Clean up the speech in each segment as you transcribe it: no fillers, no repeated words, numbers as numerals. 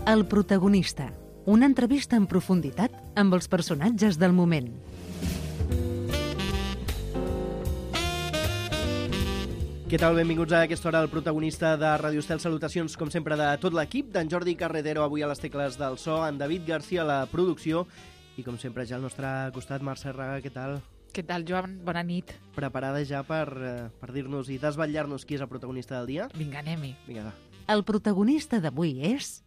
El protagonista. Una entrevista en profunditat amb els personatges del moment. Què tal? Benvinguts a aquesta hora al protagonista de Ràdio Estel. Salutacions, com sempre, de tot l'equip. D'en Jordi Carretero, avui a les tecles del so, en David Garcia a la producció i, com sempre, ja al nostre costat, Mercè Raga. Què tal? Què tal, Joan? Bona nit. Preparada ja per dir-nos i desvetllar-nos qui és el protagonista del dia? Vinga, anem-hi. Vinga, va. El protagonista d'avui és...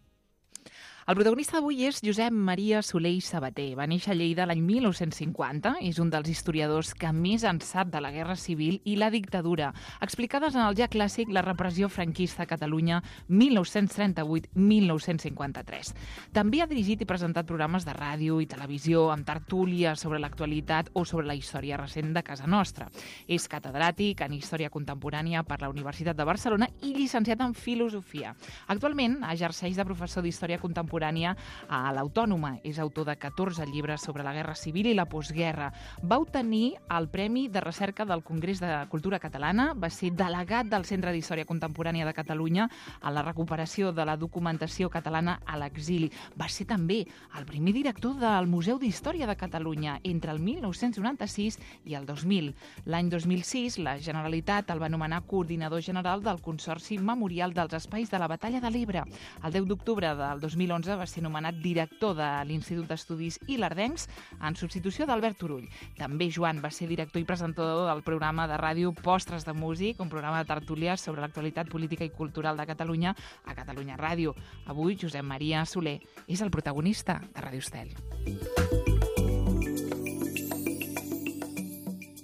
El protagonista d'avui és Josep Maria Soler i Sabater. Va néixer a Lleida l'any 1950. És un dels historiadors que més en sap de la Guerra Civil i la dictadura, explicades en el ja clàssic La repressió franquista a Catalunya 1938-1953. També ha dirigit i presentat programes de ràdio i televisió amb tertúlies sobre l'actualitat o sobre la història recent de casa nostra. És catedràtic en Història Contemporània per la Universitat de Barcelona i llicenciat en Filosofia. Actualment exerceix de professor d'Història Contemporània a l'Autònoma. És autor de 14 llibres sobre la Guerra Civil i la postguerra. Va obtenir el Premi de Recerca del Congrés de Cultura Catalana, va ser delegat del Centre d'Història Contemporània de Catalunya a la recuperació de la documentació catalana a l'exili. Va ser també el primer director del Museu d'Història de Catalunya entre el 1996 i el 2000. L'any 2006, la Generalitat el va nomenar coordinador general del Consorci Memorial dels Espais de la Batalla de l'Ebre. El 10 d'octubre del 2011 va ser nomenat director de l'Institut d'Estudis Ilerdencs en substitució d'Albert Turull. També Joan va ser director i presentador del programa de ràdio Postres de Músic, un programa de tertúlies sobre l'actualitat política i cultural de Catalunya a Catalunya Ràdio. Avui Josep Maria Soler és el protagonista de Ràdio Estel.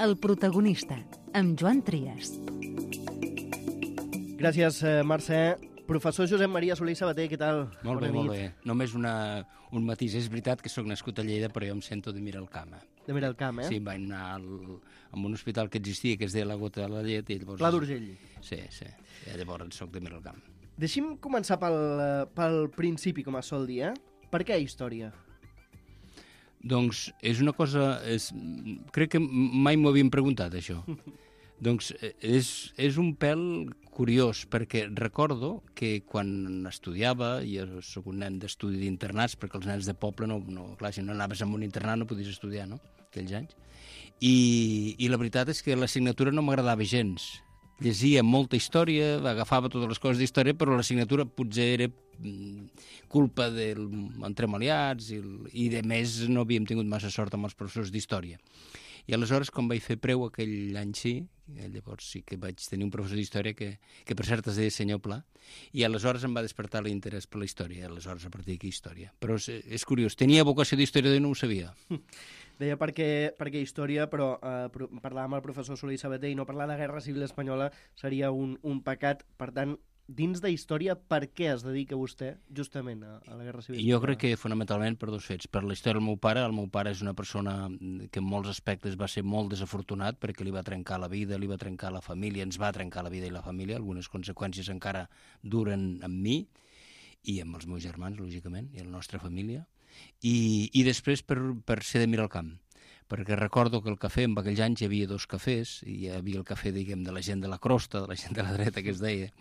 El protagonista, amb Joan Trias. Gràcies, Mercè. Professor Josep Maria Soler i Sabater, què tal? Molt bé, molt bé. Només un matís. És veritat que sóc nascut a Lleida, però jo em sento de Miralcamp. De Miralcamp, eh? Sí, vaig anar a un hospital que existia, que es deia la Gota de la Llet. I llavors... Pla d'Urgell. Sí. Llavors soc de Miralcamp. Deixi'm començar pel principi, com es sol dir, eh? Per què història? Doncs és una cosa... Crec que mai m'ho havien preguntat, això. Doncs és un pèl curiós, perquè recordo que quan estudiava, i jo soc un nen d'estudi d'internats, perquè els nens de poble, clar, si no anaves a un internat no podies estudiar, no?, aquells anys. I la veritat és que l'assignatura no m'agradava gens. Llegia molta història, agafava totes les coses d'història, però l'assignatura potser era culpa d'entremaliats i de més no havíem tingut massa sort amb els professors d'història. I aleshores, quan vaig fer preu aquell any llavors sí que vaig tenir un professor d'història que per cert es deia senyor Pla, i aleshores em va despertar l'interès per la història, i aleshores a partir d'aquí història. Però és curiós, tenia vocació d'història i no ho sabia. Deia perquè història, però parlar amb el professor Soler i Sabater i no parlar de Guerra Civil Espanyola seria un pecat. Per tant, dins de història, per què es dedica vostè justament a la Guerra Civil Espanyola? Jo crec que fonamentalment per dos fets. Per la història del meu pare. El meu pare és una persona que en molts aspectes va ser molt desafortunat perquè li va trencar la vida, li va trencar la família, ens va trencar la vida i la família. Algunes conseqüències encara duren amb mi i amb els meus germans, lògicament, i la nostra família. I després per ser de Miralcamp, perquè recordo que el cafè, en aquells anys hi havia dos cafès, i hi havia el cafè, diguem, de la gent de la crosta, de la gent de la dreta, que es deia,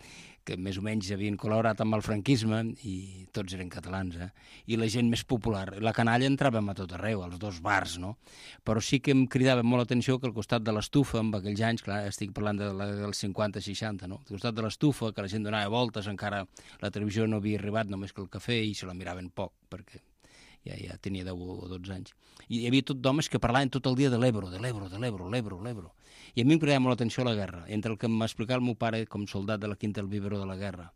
que més o menys havien col·laborat amb el franquisme, i tots eren catalans, i la gent més popular. La canalla entràvem a tot arreu, als dos bars, no? Però sí que em cridava molt l'atenció que al costat de l'estufa, en aquells anys, clar, estic parlant dels 50-60, no? Al costat de l'estufa, que la gent donava voltes, encara la televisió no havia arribat, només que el cafè, i se la miraven poc, perquè ja tenia 10 o 12 anys. I hi havia tot d'homes que parlaven tot el dia de l'Ebro. I a mi em cridava molt l'atenció la guerra, entre el que m'explicava el meu pare com soldat de la Quinta del Vivero de la guerra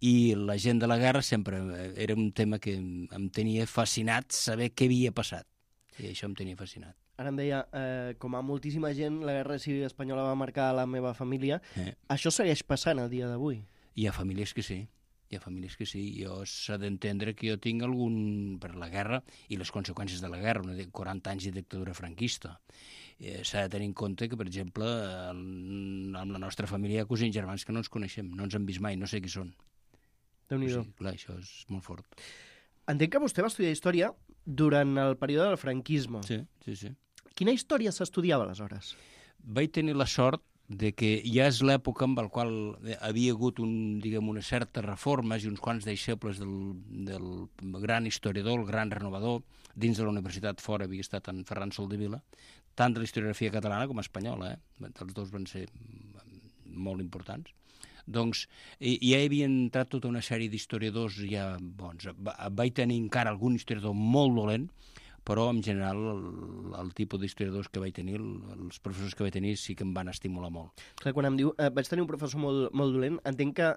i la gent de la guerra sempre era un tema que em tenia fascinat saber què havia passat. I això em tenia fascinat. Ara em deia, com a moltíssima gent, la Guerra Civil Espanyola va marcar la meva família. Això segueix passant el dia d'avui? Hi ha famílies que sí. Jo s'ha d'entendre que jo tinc algun... per la guerra i les conseqüències de la guerra, 40 anys de dictadura franquista. S'ha de tenir en compte que, per exemple, amb la nostra família hi ha cosins germans que no ens coneixem, no ens han vist mai, no sé qui són. Déu-n'hi-do. Clar, això és molt fort. Entenc que vostè va estudiar història durant el període del franquisme. Sí. Quina història s'estudiava aleshores? Vaig tenir la sort de que ja és l'època en la qual havia hagut unes certes reformes i uns quants deixebles del gran historiador, el gran renovador, dins de la universitat fora havia estat en Ferran Soldevila, tant de la historiografia catalana com espanyola, els dos van ser molt importants. Doncs ja hi havia entrat tota una sèrie d'historiadors ja bons. Vaig tenir encara algun historiador molt dolent, però en general el tipus d'historiadors que vaig tenir, els professors que vaig tenir sí que em van estimular molt. Clar, quan em diu, vaig tenir un professor molt dolent, entenc que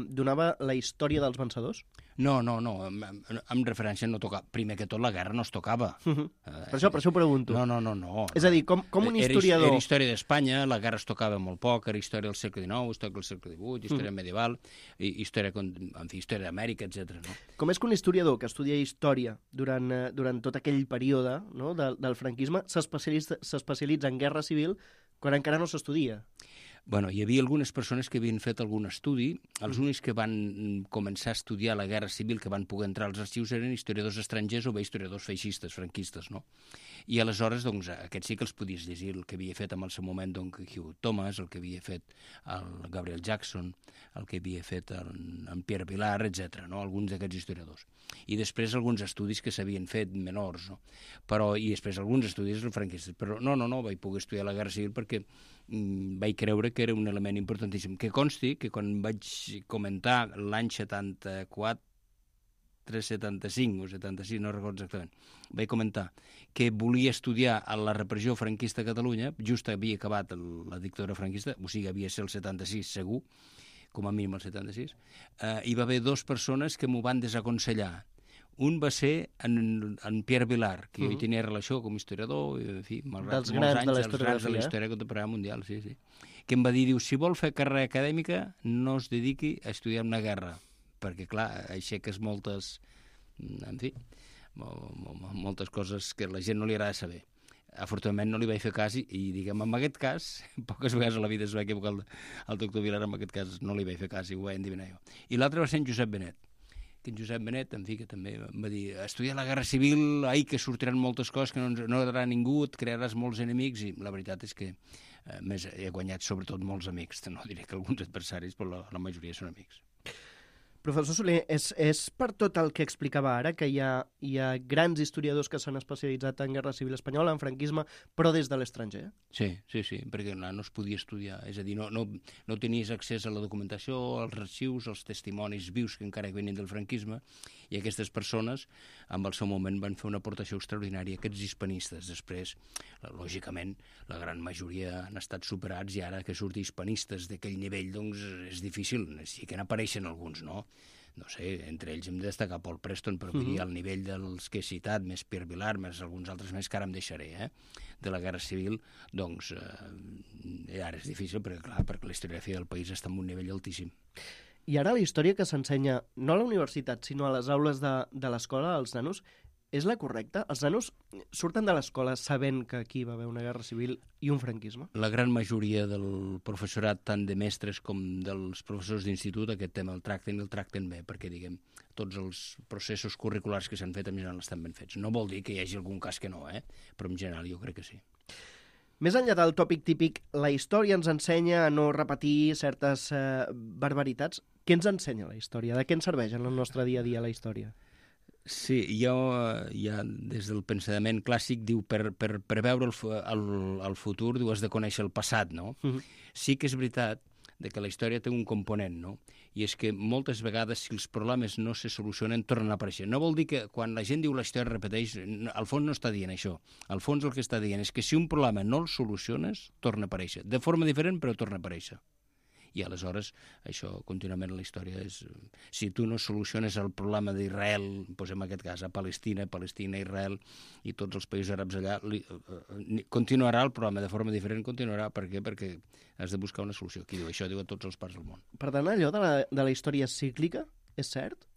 donava la història dels vencedors? No, en referència no tocava. Primer que tot, la guerra no es tocava. Per això ho pregunto. No. És a dir, com un historiador... Era història d'Espanya, la guerra es tocava molt poc, era història del segle XIX, història del segle XVIII, història medieval, història d'Amèrica, etc. No? Com és que un historiador que estudia història durant tot aquell període, no, del franquisme s'especialitza en guerra civil quan encara no s'estudia? Bueno, hi havia algunes persones que havien fet algun estudi. Els únics que van començar a estudiar la Guerra Civil, que van poder entrar als arxius, eren historiadors estrangers o bé historiadors feixistes, franquistes, no? I aleshores, doncs, aquests sí que els podies llegir, el que havia fet en el seu moment Hugh Thomas, el que havia fet el Gabriel Jackson, el que havia fet en Pierre Vilar, etc. no? Alguns d'aquests historiadors. I després alguns estudis que s'havien fet menors, no? I després alguns estudis franquistes. Però no, vaig poder estudiar la Guerra Civil perquè vaig creure que era un element importantíssim. Que consti que quan vaig comentar l'any 74, 75 o 76, no recordo exactament, vaig comentar que volia estudiar la repressió franquista a Catalunya, just havia acabat la dictadura franquista, o sigui, havia de ser el 76 segur, com a mínim el 76, hi va haver dues persones que m'ho van desaconsellar. Un va ser en Pierre Vilar, que jo hi tenia relació com a historiador, i, en fi, malgrat dels molts anys, de la dels grans de la història contemporània mundial, sí. Que em va dir, si vol fer carrera acadèmica, no es dediqui a estudiar una guerra, perquè, clar, aixeques moltes, en fi, moltes coses que la gent no li agrada saber. Afortunadament no li vaig fer cas i diguem, en aquest cas, poques vegades a la vida es va equivocar el doctor Vilar, en aquest cas no li vaig fer cas i ho vaig endevinar jo. I l'altre va ser en Josep Benet, que en Josep Benet, en fi, que també em va dir, estudiar la Guerra Civil, que sortiran moltes coses que no agradarà a ningú, et crearàs molts enemics, i la veritat és que més he guanyat sobretot molts amics, no diré que alguns adversaris, però la majoria són amics. Professor Soler, és per tot el que explicava ara, que hi ha grans historiadors que s'han especialitzat en Guerra Civil Espanyola, en franquisme, però des de l'estranger? Sí, perquè no es podia estudiar. És a dir, no tenies accés a la documentació, als arxius, als testimonis vius que encara venien del franquisme, i aquestes persones, en el seu moment, van fer una aportació extraordinària. Aquests hispanistes, després, lògicament, la gran majoria han estat superats, i ara que surti hispanistes d'aquell nivell, doncs és difícil. Sí que n'apareixen alguns, no? No sé, entre ells hem de destacar Paul Preston, però vull dir, al nivell dels que he citat, més Pierre Vilar, més alguns altres més que ara em deixaré, de la Guerra Civil, doncs ara és difícil, perquè la historiografia del país està en un nivell altíssim. I ara la història que s'ensenya, no a la universitat, sinó a les aules de l'escola, als nanos, és la correcta? Els nanos surten de l'escola sabent que aquí va haver una guerra civil i un franquisme? La gran majoria del professorat, tant de mestres com dels professors d'institut, aquest tema el tracten bé, perquè, diguem, tots els processos curriculars que s'han fet en general estan ben fets. No vol dir que hi hagi algun cas que no, però en general jo crec que sí. Més enllà del tòpic típic, la història ens ensenya a no repetir certes barbaritats. Què ens ensenya la història? De què ens serveix en el nostre dia a dia la història? Sí, jo ja des del pensament clàssic diu per preveure el futur has de conèixer el passat, no? Sí que és veritat que la història té un component, no? I és que moltes vegades si els problemes no se solucionen tornen a aparèixer. No vol dir que quan la gent diu la història repeteix, al fons no està dient això. Al fons el que està dient és que si un problema no el soluciones, torna a aparèixer. De forma diferent, però torna a aparèixer. I aleshores això contínuament la història és... Si tu no soluciones el problema d'Israel, doncs en aquest cas a Palestina, Israel i tots els països àrabs allà, continuarà el problema de forma diferent, continuarà. Per què? Perquè has de buscar una solució. Qui diu això? Diu a tots els parts del món. Per tant, allò de la història cíclica és cert?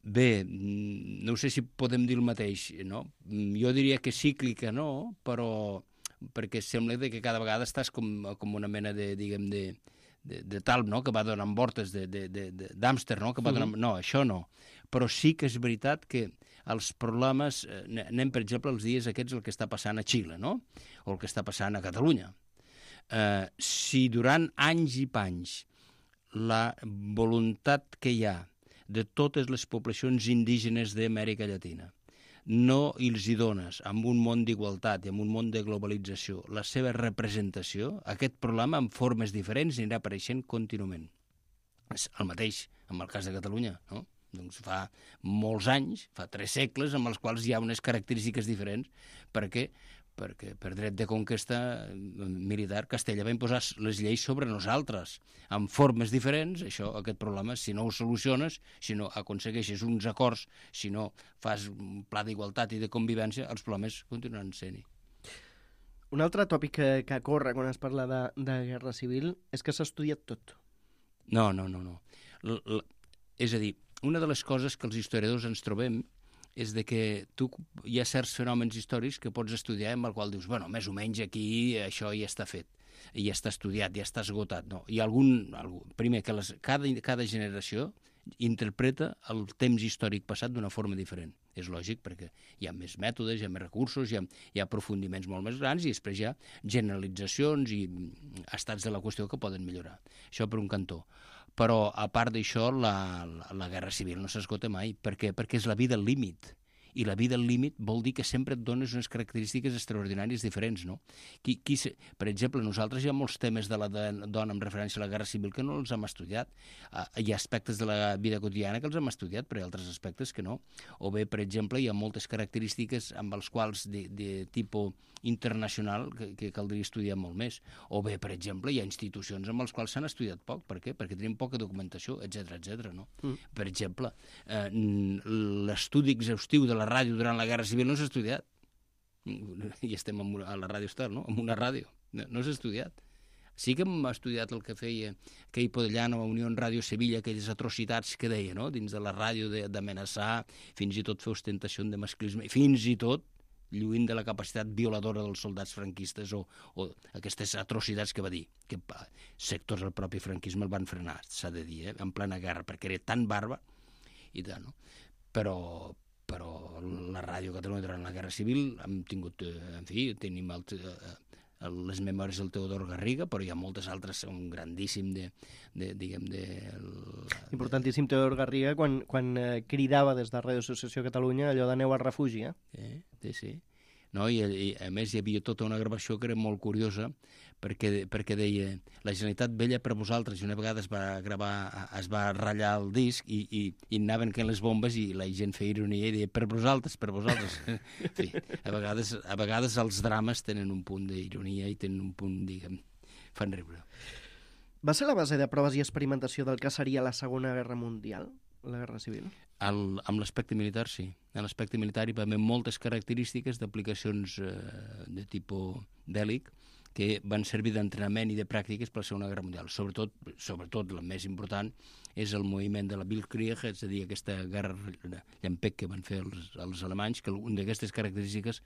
Bé, no sé si podem dir el mateix, no? Jo diria que cíclica no, però... perquè sembla que cada vegada estàs com una mena de, diguem, de talp, no?, que va donant voltes, d'hàmster, no?, que va donant... No, això no. Però sí que és veritat que els problemes... Anem, per exemple, els dies aquests el que està passant a Xile, no?, o el que està passant a Catalunya. Si durant anys i panys la voluntat que hi ha de totes les poblacions indígenes d'Amèrica Llatina no els hi dones, amb un món d'igualtat i amb un món de globalització, la seva representació, aquest problema en formes diferents anirà apareixent contínuament. És el mateix amb el cas de Catalunya, no? Doncs fa molts anys, fa 3 segles, amb els quals hi ha unes característiques diferents. Per què? Perquè per dret de conquesta militar Castella va imposar les lleis sobre nosaltres, amb formes diferents. Aquest problema, si no ho soluciones, si no aconsegueixes uns acords, si no fas un pla d'igualtat i de convivència, els problemes continuaran sent-hi. Un altre tòpic que corre quan es parla de guerra civil és que s'ha estudiat tot. No. És a dir, una de les coses que els historiadors ens trobem és de que hi ha certs fenòmens històrics que pots estudiar amb el qual dius, bueno, més o menys aquí això ja està fet, ja està estudiat, ja està esgotat. No, hi ha primer, que cada generació interpreta el temps històric passat d'una forma diferent. És lògic, perquè hi ha més mètodes, hi ha més recursos, hi ha aprofundiments molt més grans i després hi ha generalitzacions i estats de la qüestió que poden millorar. Això per un cantó. Però, a part d'això, la guerra civil no s'esgota mai. Per què? Perquè és la vida al límit. I la vida al límit vol dir que sempre et dones unes característiques extraordinàries diferents, no? Per exemple, nosaltres hi ha molts temes de la dona amb referència a la guerra civil que no els hem estudiat. Hi ha aspectes de la vida quotidiana que els hem estudiat, però hi ha altres aspectes que no. O bé, per exemple, hi ha moltes característiques amb els quals de tipus internacional que caldria estudiar molt més. O bé, per exemple, hi ha institucions amb les quals s'han estudiat poc. Per què? Perquè tenim poca documentació, etc. No? Per exemple, l'estudi exhaustiu de la ràdio durant la Guerra Civil no s'ha estudiat. I estem a la Ràdio Estel, no? En una ràdio. No s'ha estudiat. Sí que hem estudiat el que feia aquell Podellano a Unió Ràdio Sevilla, aquelles atrocitats que deia, no? Dins de la ràdio d'amenaçar, fins i tot fer ostentació de masclisme, fins i tot lluint de la capacitat violadora dels soldats franquistes o aquestes atrocitats que va dir, que sectors del propi franquisme el van frenar, s'ha de dir, en plena guerra, perquè era tan bàrbar i tant, no? Però la Ràdio Catalunya durant la Guerra Civil hem tingut, tenim les memòries del Teodor Garriga, però hi ha moltes altres, un grandíssim Importantíssim Teodor Garriga quan cridava des de Ràdio Associació Catalunya allò d'aneu al refugi, Sí. No? I a més hi havia tota una gravació que era molt curiosa perquè deia la Generalitat vella per vosaltres, i una vegada es va ratllar el disc i anaven caient les bombes i la gent feia ironia i deia per vosaltres. En fi, a vegades els drames tenen un punt d'ironia i tenen un punt, diguem, fan riure. Va ser la base de proves i experimentació del que seria la Segona Guerra Mundial, la Guerra Civil? Amb l'aspecte militar, sí. En l'aspecte militar hi va haver moltes característiques d'aplicacions de tipus bèl·lic que van servir d'entrenament i de pràctiques per la Segona Guerra Mundial. Sobretot la més important és el moviment de la Bildkrieg, és a dir, aquesta guerra llampec que van fer els alemanys, que alguna d'aquestes característiques,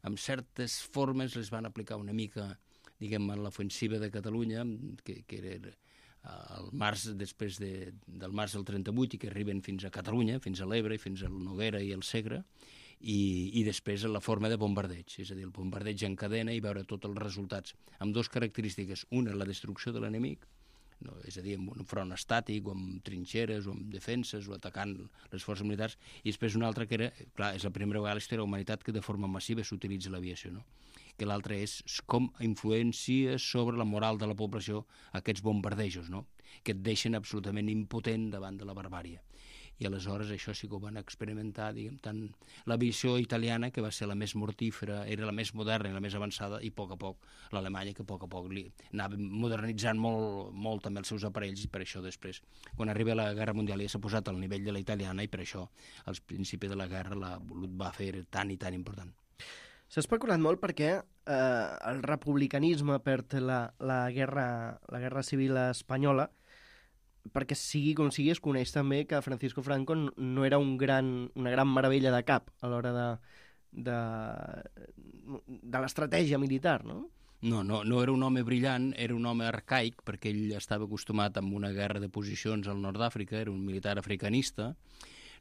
amb certes formes, les van aplicar una mica, diguem, en l'ofensiva de Catalunya, que era al març, després del març del 38, i que arriben fins a Catalunya, fins a l'Ebre, fins al Noguera i al Segre, i després la forma de bombardeig, és a dir, el bombardeig en cadena i veure tots els resultats, amb dues característiques. Una, la destrucció de l'enemic, no, és a dir, amb un front estàtic, o amb trinxeres, o amb defenses, o atacant les forces militars, i després una altra que era, clar, és la primera vegada a la història de la humanitat que de forma massiva s'utilitza l'aviació, no? Que l'altra és com influència sobre la moral de la població aquests bombardejos, no? Que et deixen absolutament impotent davant de la barbària. I aleshores això sí que ho van experimentar, diguem, tant l'aviació italiana, que va ser la més mortífera, era la més moderna i la més avançada, i a poc l'alemanya, que a poc anava modernitzant molt també els seus aparells, i per això després, quan arriba la Guerra Mundial, ja s'ha posat al nivell de la italiana, i per això, als principis de la guerra, la va fer tan i tan important. S'ha especulat molt perquè el republicanisme perd la guerra civil espanyola, perquè sigui com sigui, es coneix també que Francisco Franco no era una gran meravella de cap a l'hora de l'estratègia militar, no? No era un home brillant, era un home arcaic, perquè ell estava acostumat a una guerra de posicions al nord d'Àfrica, era un militar africanista,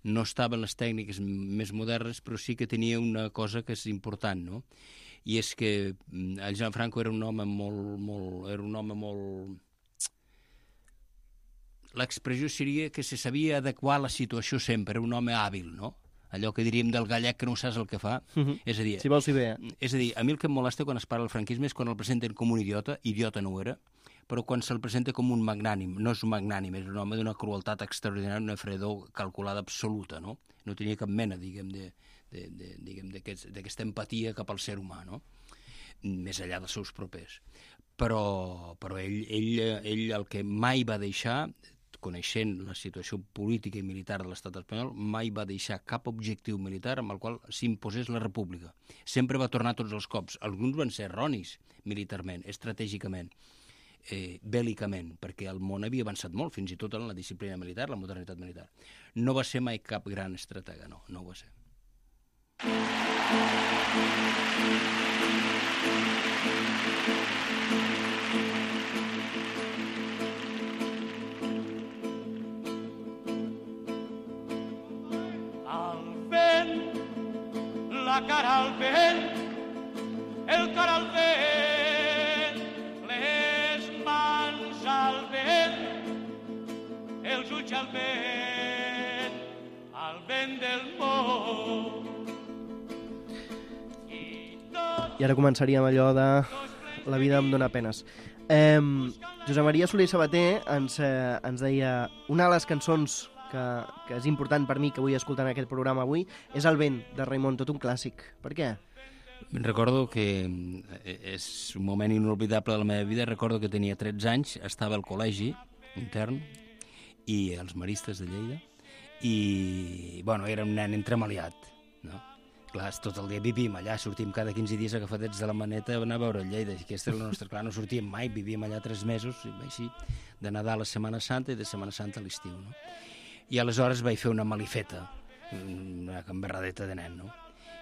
no estava en les tècniques més modernes, però sí que tenia una cosa que és important, no? i és que el Gianfranco era un home molt... L'expressió seria que se sabia adequar a la situació sempre, era un home hàbil, no? Allò que diríem del gallec que no saps el que fa. És a dir, si vols, si bé. És a dir, a mi el que em molesta quan es parla del franquisme és quan el presenten com un idiota no ho era, però quan se'l presenta com un magnànim, no és un magnànim, és un home d'una crueltat extraordinària, una fredor calculada absoluta, no? No tenia cap mena, diguem, d'aquesta empatia cap al ser humà, no? Més enllà dels seus propers. Però ell el que mai va deixar, coneixent la situació política i militar de l'estat espanyol, mai va deixar cap objectiu militar amb el qual s'imposés la república. Sempre va tornar tots els cops. Alguns van ser erronis militarment, estratègicament, bèl·licament, perquè el món havia avançat molt, fins i tot en la disciplina militar, la modernitat militar. No va ser mai cap gran estratega, no ho va ser. La cara al vent, el cor al vent, les mans al vent, els ulls al vent del món. I ara començaríem allò de la vida em dóna penes. Josep Maria Soler i Sabater ens deia una de les cançons que és important per mi que vull escoltar en aquest programa avui, és El vent, de Raimon, tot un clàssic. Per què? Recordo que és un moment inolvidable de la meva vida. Recordo que tenia 13 anys, estava al col·legi intern i als Maristes de Lleida i, bueno, era un nen entremaliat, no? Clar, tot el dia vivíem allà, sortíem cada 15 dies agafadets de la maneta a anar a veure Lleida. I aquesta era la nostra... Clar, no sortíem mai, vivíem allà 3 mesos, així, de Nadal a Setmana Santa i de Setmana Santa a l'estiu, no? I aleshores vaig fer una malifeta, una gamberradeta de nen, no?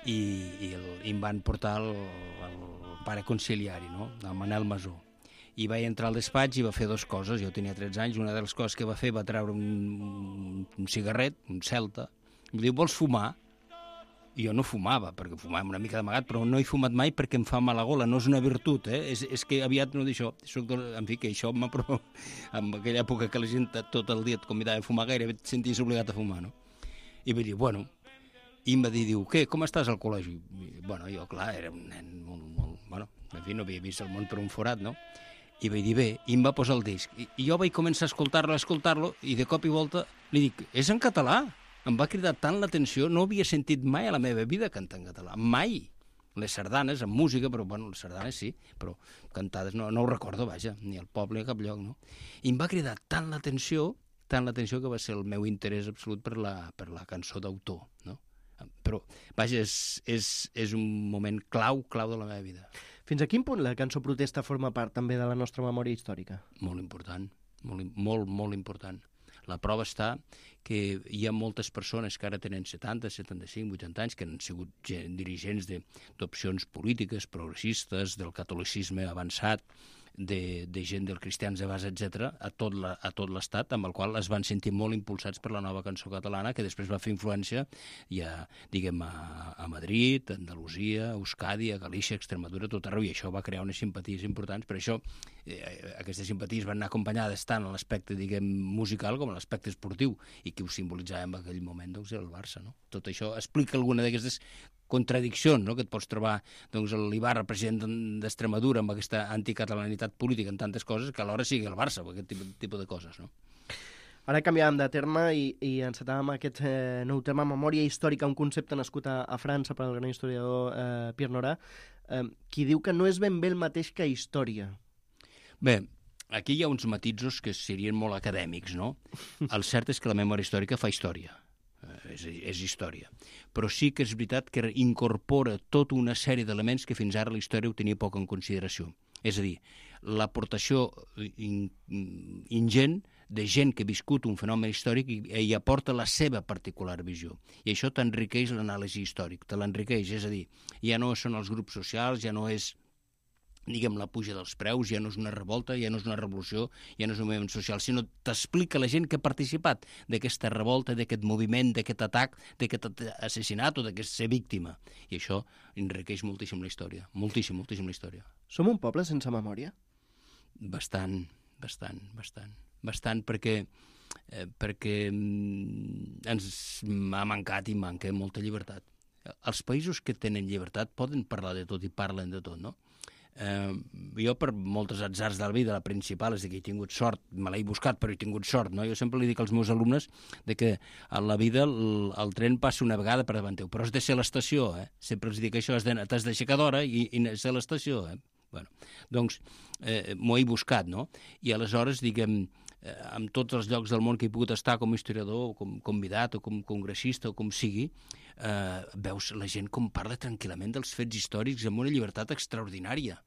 I em van portar el pare conciliari, no? El Manel Masó. I vaig entrar al despatx i va fer 2 coses. Jo tenia 13 anys, una de les coses que va fer va treure un cigarret, un Celta, i em diu, vols fumar? I jo no fumava, perquè fumàvem una mica d'amagat, però no he fumat mai perquè em fa mala gola, no és una virtut, és que aviat no d'això, en fi, que això m'aprova, en aquella època que la gent tot el dia et convidava a fumar, gairebé et senties obligat a fumar, no? I vaig dir, bueno, i em va dir, diu, què, com estàs al col·legi? I, bueno, jo, clar, era un nen molt, bueno, en fi, no havia vist el món per un forat, no? I vaig dir, bé, i em va posar el disc. I jo vaig començar a escoltar-lo, i de cop i volta li dic, és en català! Em va cridar tant l'atenció, no havia sentit mai a la meva vida cantar en català, mai. Les sardanes, amb música, però, bueno, les sardanes sí, però cantades no ho recordo, vaja, ni al poble ni a cap lloc, no? I em va cridar tant l'atenció que va ser el meu interès absolut per la cançó d'autor, no? Però, vaja, és un moment clau de la meva vida. Fins a quin punt la cançó protesta forma part també de la nostra memòria històrica? Molt important, molt important. La prova està que hi ha moltes persones que ara tenen 70, 75, 80 anys, que han sigut dirigents d'opcions polítiques, progressistes, del catolicisme avançat, de gent del cristians de base, etc., a tot l'estat, amb el qual es van sentir molt impulsats per la nova cançó catalana, que després va fer influència ja, diguem, a Madrid, a Andalusia, a Euskadi, a Galícia, a Extremadura, tot arreu, i això va crear unes simpaties importants. Per això aquestes simpaties van anar acompanyades tant en l'aspecte, diguem, musical com en l'aspecte esportiu, i qui ho simbolitzava en aquell moment, doncs, era el Barça, no? Tot això explica alguna d'aquestes contradiccions, no?, que et pots trobar, doncs, l'Ibarra, president d'Extremadura, amb aquesta anticatalanitat política en tantes coses, que alhora sigui el Barça, o aquest tipus de coses, no? Ara canviàvem de terme i encetàvem aquest nou terme, memòria històrica, un concepte nascut a França per al gran historiador Pierre Nora, qui diu que no és ben bé el mateix que història. Bé, aquí hi ha uns matisos que serien molt acadèmics, no? El cert és que la memòria històrica fa història. És història. Però sí que és veritat que incorpora tota una sèrie d'elements que fins ara la història ho tenia poc en consideració. És a dir, l'aportació ingent de gent que ha viscut un fenomen històric i aporta la seva particular visió. I això t'enriqueix l'anàlisi històric, te l'enriqueix. És a dir, ja no són els grups socials, ja no és diguem, la puja dels preus, ja no és una revolta, ja no és una revolució, ja no és un moviment social, sinó t'explica la gent que ha participat d'aquesta revolta, d'aquest moviment, d'aquest atac, d'aquest assassinat o d'aquest ser víctima. I això enriqueix moltíssim la història, moltíssim la història. Som un poble sense memòria? Bastant, perquè ens ha mancat i manca molta llibertat. Els països que tenen llibertat poden parlar de tot i parlen de tot, no? Jo per moltes atzars de la vida, la principal és que he tingut sort, me l'he buscat però he tingut sort, no? Jo sempre li dic als meus alumnes de que a la vida el tren passa una vegada per davant teu, però has de ser a l'estació, sempre els dic això, t'has d'aixecar d'hora i ser a l'estació, Bueno, doncs m'ho he buscat, no? I aleshores, diguem, en tots els llocs del món que he pogut estar com a historiador, o com convidat, o com congressista, o com sigui, veus la gent com parla tranquil·lament dels fets històrics amb una llibertat extraordinària.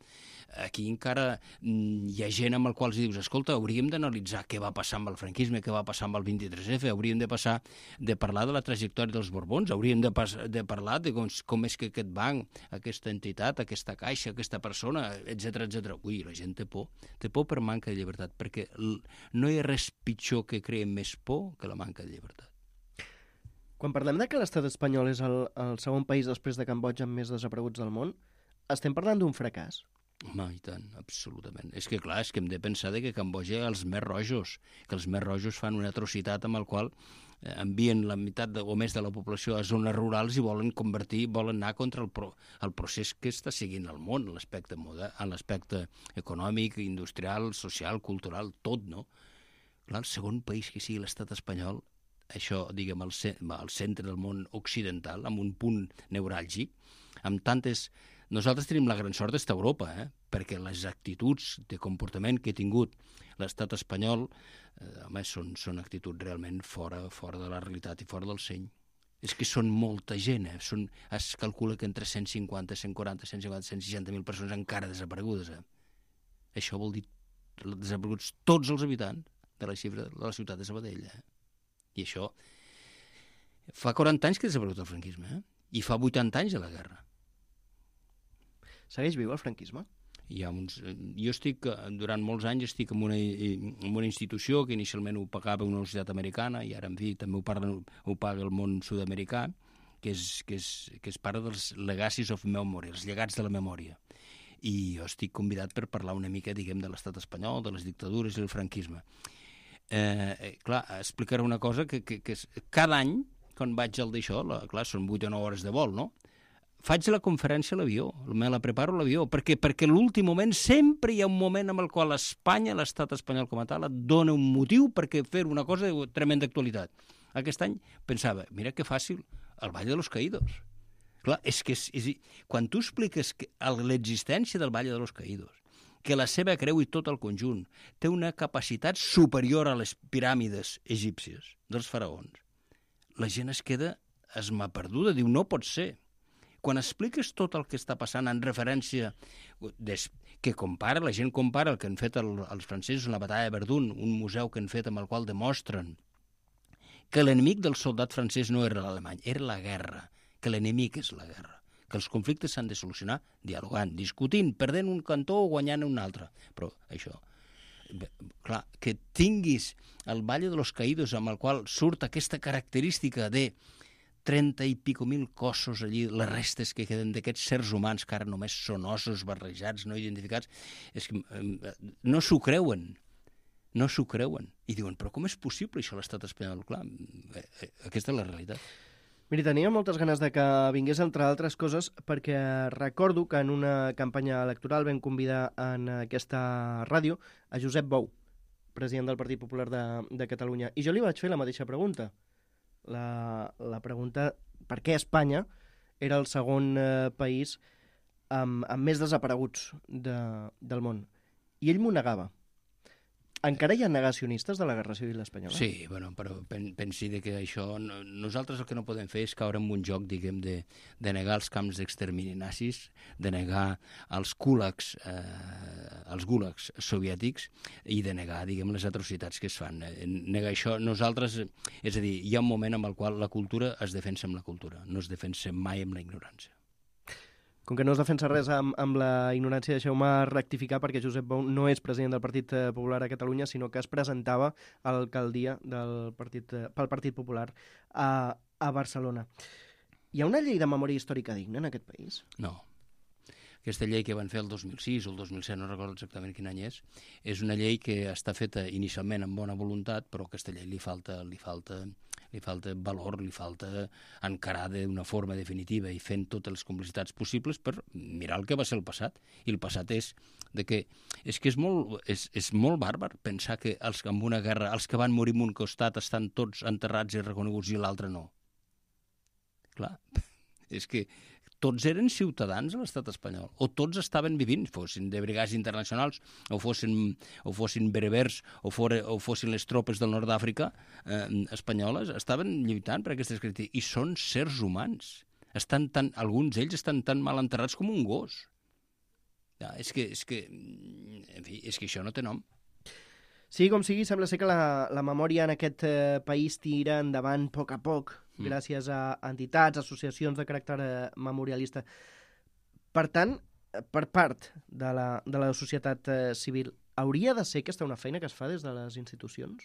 Aquí encara hi ha gent amb el qual dius, escolta, hauríem d'analitzar què va passar amb el franquisme, què va passar amb el 23F, hauríem de parlar de la trajectòria dels Borbons, hauríem de parlar de com és que aquest banc, aquesta entitat, aquesta caixa, aquesta persona, etc. Ui, la gent té por per manca de llibertat, perquè no hi ha res pitjor que creï més por que la manca de llibertat. Quan parlem de que l'estat espanyol és el segon país després de Cambodja amb més desapareguts del món, estem parlant d'un fracàs? Home, i tant, absolutament. És que, clar, hem de pensar que Cambodja hi ha els més rojos, que els més rojos fan una atrocitat amb el qual envien la meitat o més de la població a zones rurals i volen anar contra el procés que està seguint el món, l'aspecte econòmic, industrial, social, cultural, tot, no? Clar, el segon país que sigui l'estat espanyol, això, diguem, al centre del món occidental, amb un punt neuràlgic, amb tantes... Nosaltres tenim la gran sort d'estar a Europa, perquè les actituds de comportament que ha tingut l'estat espanyol són actituds realment fora de la realitat i fora del seny. És que són molta gent, es calcula que entre 150, 140, 160.000 persones encara desaparegudes. Això vol dir desapareguts tots els habitants de la xifra de la ciutat de Sabadell. I això fa 40 anys que ha desaparegut el franquisme, i fa 80 anys de la guerra. Segueix viu el franquisme? Jo durant molts anys estic en una institució que inicialment ho pagava una universitat americana i ara, en fi, també ho paga el món sud-americà, que és part dels legacies of memory, els llegats de la memòria. I jo estic convidat per parlar una mica, diguem, de l'estat espanyol, de les dictadures i el franquisme. Clar, explicaré una cosa que cada any, quan vaig al d'això, clar, són 8 o 9 hores de vol, no? Faig la conferència a l'avió, me la preparo a l'avió, perquè l'últim moment, sempre hi ha un moment amb el qual Espanya, l'estat espanyol com a tal, et dona un motiu perquè fer una cosa de tremenda actualitat. Aquest any pensava, mira que fàcil, el Valle de los Caídos. Clar, és que quan tu expliques l'existència del Valle de los Caídos, que la seva creu i tot el conjunt té una capacitat superior a les piràmides egípcies dels faraons, la gent es queda esmaperduda, diu, no pot ser. Quan expliques tot el que està passant en referència, que la gent compara el que han fet els francesos en la batalla de Verdun, un museu que han fet amb el qual demostren que l'enemic del soldat francès no era l'alemany, era la guerra, que l'enemic és la guerra, que els conflictes s'han de solucionar dialogant, discutint, perdent un cantó o guanyant un altre. Però això, clar, que tinguis el Valle de los Caídos amb el qual surt aquesta característica de 30 i pico mil cossos allí, les restes que queden d'aquests sers humans que ara només són ossos barrejats, no identificats, és que no s'ho creuen. I diuen, però com és possible això a l'estat espanyol? Clar, aquesta és la realitat. Miri, tenia moltes ganes de que vingués, entre altres coses, perquè recordo que en una campanya electoral vam convidar en aquesta ràdio a Josep Bou, president del Partit Popular de Catalunya. I jo li vaig fer la mateixa pregunta. La pregunta, per què Espanya era el segon país amb més desapareguts del món. I ell m'ho negava. Encara hi ha negacionistes de la Guerra Civil espanyola? Sí, bueno, però pensi que això... Nosaltres el que no podem fer és caure en un joc, diguem, de negar els camps d'extermini nazis, de negar els gulags soviètics i de negar, diguem, les atrocitats que es fan. Negar això, nosaltres... És a dir, hi ha un moment en el qual la cultura es defensa amb la cultura, no es defensa mai amb la ignorància. Com que no es defensa res amb la ignorància, deixeu-me rectificar perquè Josep Bou no és president del Partit Popular a Catalunya, sinó que es presentava a l'alcaldia pel Partit Popular a Barcelona. Hi ha una llei de memòria històrica digna en aquest país? No. Aquesta llei que van fer el 2006 o el 2007, no recordo exactament quin any és una llei que està feta inicialment amb bona voluntat, però a aquesta llei li falta valor, li falta encarar d'una forma definitiva i fent totes les complicitats possibles per mirar el que va ser el passat. I el passat és que és molt bàrbar pensar que en una guerra els que van morir en un costat estan tots enterrats i reconeguts i l'altre no. Clar, és que tots eren ciutadans de l'estat espanyol, o tots estaven vivint, fossin de brigades internacionals, o fossin berbers, o fossin les tropes del nord d'Àfrica espanyoles, estaven lluitant per aquestes característiques, i són sers humans. Alguns d'ells estan tan mal enterrats com un gos. És que això no té nom. Sí, com sigui, sembla ser que la memòria en aquest país tira endavant a poc, gràcies a entitats, associacions de caràcter memorialista. Per tant, per part de la societat civil, hauria de ser aquesta una feina que es fa des de les institucions?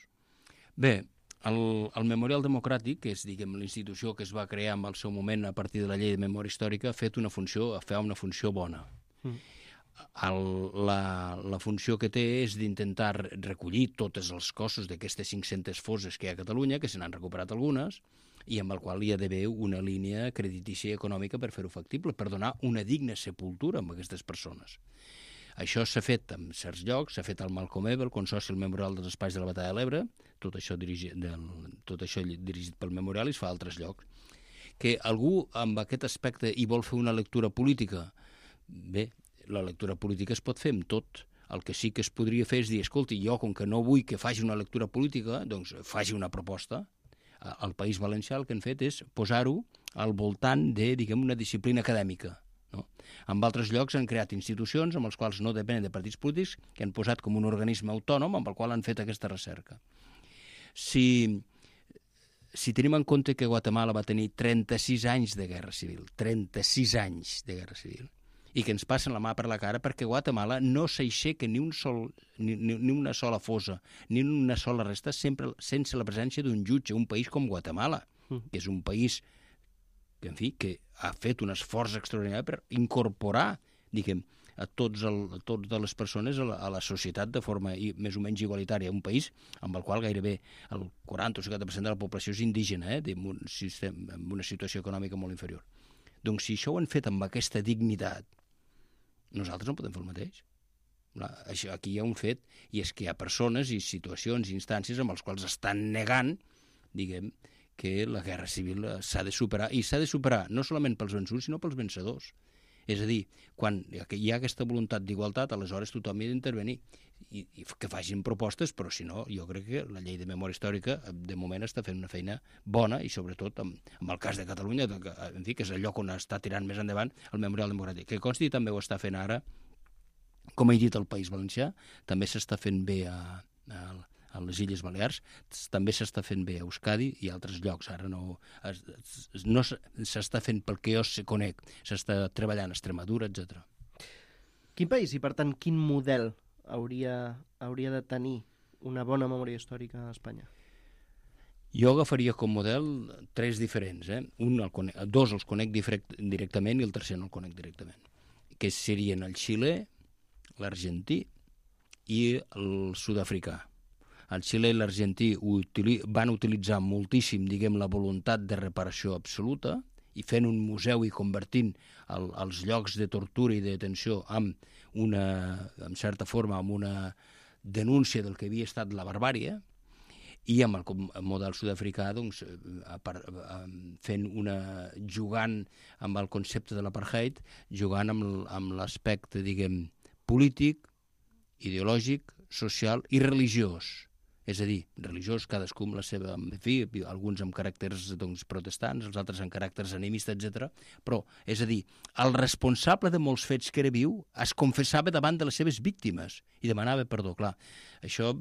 Bé, el Memorial Democràtic, que és, diguem, la institució que es va crear en el seu moment a partir de la llei de memòria històrica, fa una funció bona. La funció que té és d'intentar recollir totes els cossos d'aquestes 500 fosses que hi ha a Catalunya, que se n'han recuperat algunes, i amb el qual hi ha d'haver una línia creditícia i econòmica per fer-ho factible, per donar una digna sepultura a aquestes persones. Això s'ha fet en certs llocs, s'ha fet al Malcolm X, el Consorci del Memorial dels Espais de la Batalla de l'Ebre, tot això dirigit pel Memorial, i es fa a altres llocs. Que algú amb aquest aspecte hi vol fer una lectura política, bé, la lectura política es pot fer amb tot. El que sí que es podria fer és dir, escolti, jo com que no vull que faci una lectura política, doncs faci una proposta. Al País Valencià el que han fet és posar-ho al voltant de, diguem, una disciplina acadèmica. No? En altres llocs han creat institucions amb els quals no depenen de partits polítics, que han posat com un organisme autònom amb el qual han fet aquesta recerca. Si tenim en compte que Guatemala va tenir 36 anys de guerra civil, 36 anys de guerra civil, i que ens passen la mà per la cara perquè Guatemala no s'aixeca ni una sola fossa, ni una sola resta, sempre sense la presència d'un jutge, un país com Guatemala, que és un país que, en fi, que ha fet un esforç extraordinari per incorporar, diguem, a totes les persones a la societat de forma més o menys igualitària, un país amb el qual gairebé el 40 o 50% de la població és indígena, amb una situació econòmica molt inferior. Doncs si això ho han fet amb aquesta dignitat, nosaltres no podem fer el mateix. Aquí hi ha un fet, i és que hi ha persones i situacions i instàncies amb els quals estan negant, diguem, que la guerra civil s'ha de superar, i s'ha de superar no solament pels vençuts, sinó pels vencedors. És a dir, quan hi ha aquesta voluntat d'igualtat, aleshores tothom hi ha d'intervenir i que facin propostes, però si no, jo crec que la llei de memòria històrica de moment està fent una feina bona, i sobretot en el cas de Catalunya, en fi, que és el lloc on està tirant més endavant el Memorial Democràtic, que consti també ho està fent ara, com he dit, al País Valencià, també s'està fent bé a les Illes Balears, també s'està fent bé a Euskadi i altres llocs. Ara no s'està fent pel que jo conec, s'està treballant a Extremadura, etc. Quin país i, per tant, quin model hauria de tenir una bona memòria històrica a Espanya? Jo agafaria com model 3 diferents. Dos els conec directament i el tercer no el conec directament, que serien el Xile, l'argentí i el sud-africà. El Xile i l'argentí van utilitzar moltíssim, diguem, la voluntat de reparació absoluta, i fent un museu i convertint els llocs de tortura i de detenció en certa forma, amb una denúncia del que havia estat la barbàrie, i amb el model sud-africà, doncs, jugant amb el concepte de l'apartheid, jugant amb l'aspecte, diguem, polític, ideològic, social i religiós. és a dir, religiós, cadascú amb la seva, en fi, alguns amb caràcters protestants, els altres amb caràcters animistes, etc. Però, és a dir, el responsable de molts fets que era viu es confessava davant de les seves víctimes i demanava perdó. Clar, això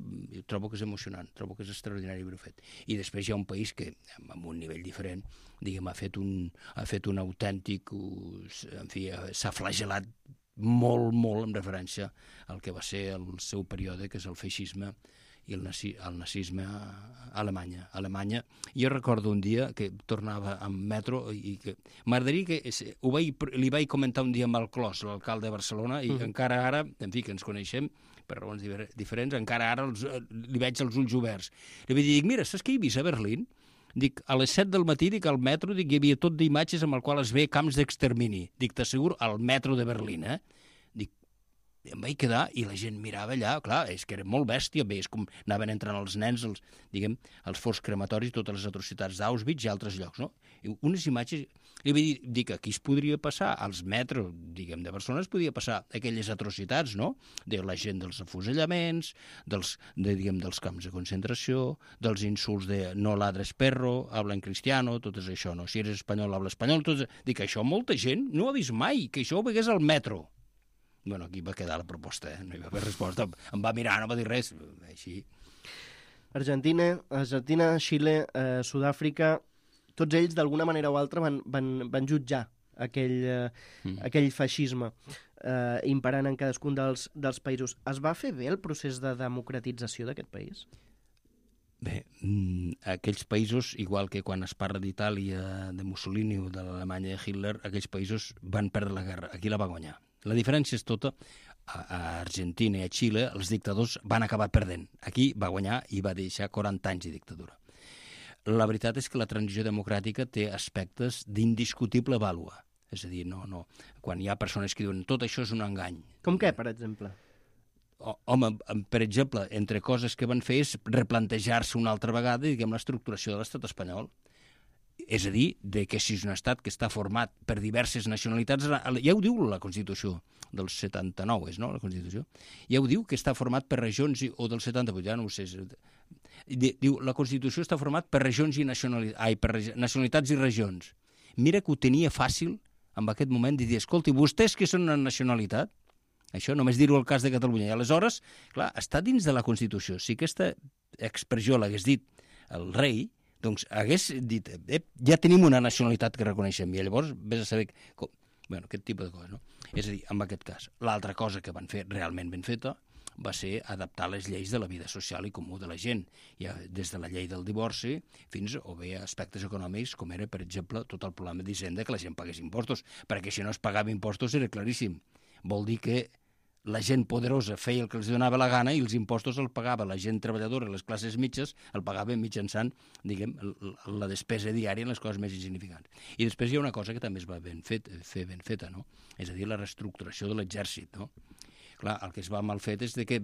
trobo que és emocionant, trobo que és extraordinari haver-ho fet. I després hi ha un país que, amb un nivell diferent, diguem, ha fet un autèntic, en fi, s'ha flagelat molt, molt en referència al que va ser el seu període, que és el feixisme i el nazisme a Alemanya. Jo recordo un dia que tornava amb metro i que m'agradaria que li vaig comentar un dia amb el Clos, l'alcalde de Barcelona, i encara ara, en fi, que ens coneixem per raons diferents, encara ara li veig els ulls oberts. Li vaig dir, mira, saps què he vist a Berlín? Dic, a les 7 del matí, dic, al metro, dic, hi havia tot d'imatges amb el qual es ve camps d'extermini. Dic, t'asseguro, al metro de Berlín, Dic, em vaig quedar i la gent mirava allà, clar, és que era molt bèstia, bé, és com anaven entrant els nens, els forts crematoris, totes les atrocitats d'Auschwitz i altres llocs, no? I unes imatges, li vaig dir que aquí es podria passar, als metros, de Barcelona es podia passar aquelles atrocitats, no? De la gent dels afusellaments, dels camps de concentració, dels insults de no ladres perro, habla en cristiano, tot és això, no? Si eres espanyol, habla espanyol, tot. Dic, això molta gent no ha vist mai, que això ho vegués al metro. Bueno, aquí va quedar la proposta, no hi va haver resposta. Em va mirar, no va dir res. Així. Argentina, Xile, Sud-àfrica, tots ells d'alguna manera o altra van jutjar aquell feixisme imperant en cadascun dels països. Es va fer bé el procés de democratització d'aquest país? Bé, aquells països, igual que quan es parla d'Itàlia, de Mussolini o de l'Alemanya de Hitler, aquells països van perdre la guerra. Aquí la va guanyar. La diferència és tota, a Argentina i a Xile els dictadors van acabar perdent. Aquí va guanyar i va deixar 40 anys de dictadura. La veritat és que la transició democràtica té aspectes d'indiscutible vàlua. És a dir, no, quan hi ha persones que diuen tot això és un engany. Com què, per exemple? Home, per exemple, entre coses que van fer és replantejar-se una altra vegada, diguem, l'estructuració de l'estat espanyol. És a dir, que si és un estat que està format per diverses nacionalitats, ja ho diu la Constitució del 79, és, no?, la Constitució? Ja ho diu que està format per regions, o del 78, ja no ho sé. Diu, la Constitució està format per regions i per nacionalitats i regions. Mira que ho tenia fàcil, en aquest moment, de dir, escolti, vostès que són una nacionalitat, això només dir-ho al cas de Catalunya, i aleshores, clar, està dins de la Constitució. Si aquesta expressió l'hagués dit el rei, doncs hagués dit, ja tenim una nacionalitat que reconeixem, i llavors vés a saber aquest tipus de coses, no? És a dir, en aquest cas. L'altra cosa que van fer realment ben feta va ser adaptar les lleis de la vida social i comú de la gent, ja des de la llei del divorci fins a bé aspectes econòmics, com era, per exemple, tot el problema d'Hisenda, que la gent pagués impostos, perquè si no es pagava impostos era claríssim. Vol dir que la gent poderosa feia el que els donava la gana i els impostos el pagava la gent treballadora, les classes mitges, el pagaven mitjançant, diguem, la despesa diària en les coses més insignificants. I després hi ha una cosa que també es va ben feta, no? És a dir, la reestructuració de l'exèrcit, no? Clar, el que es va mal fet és que,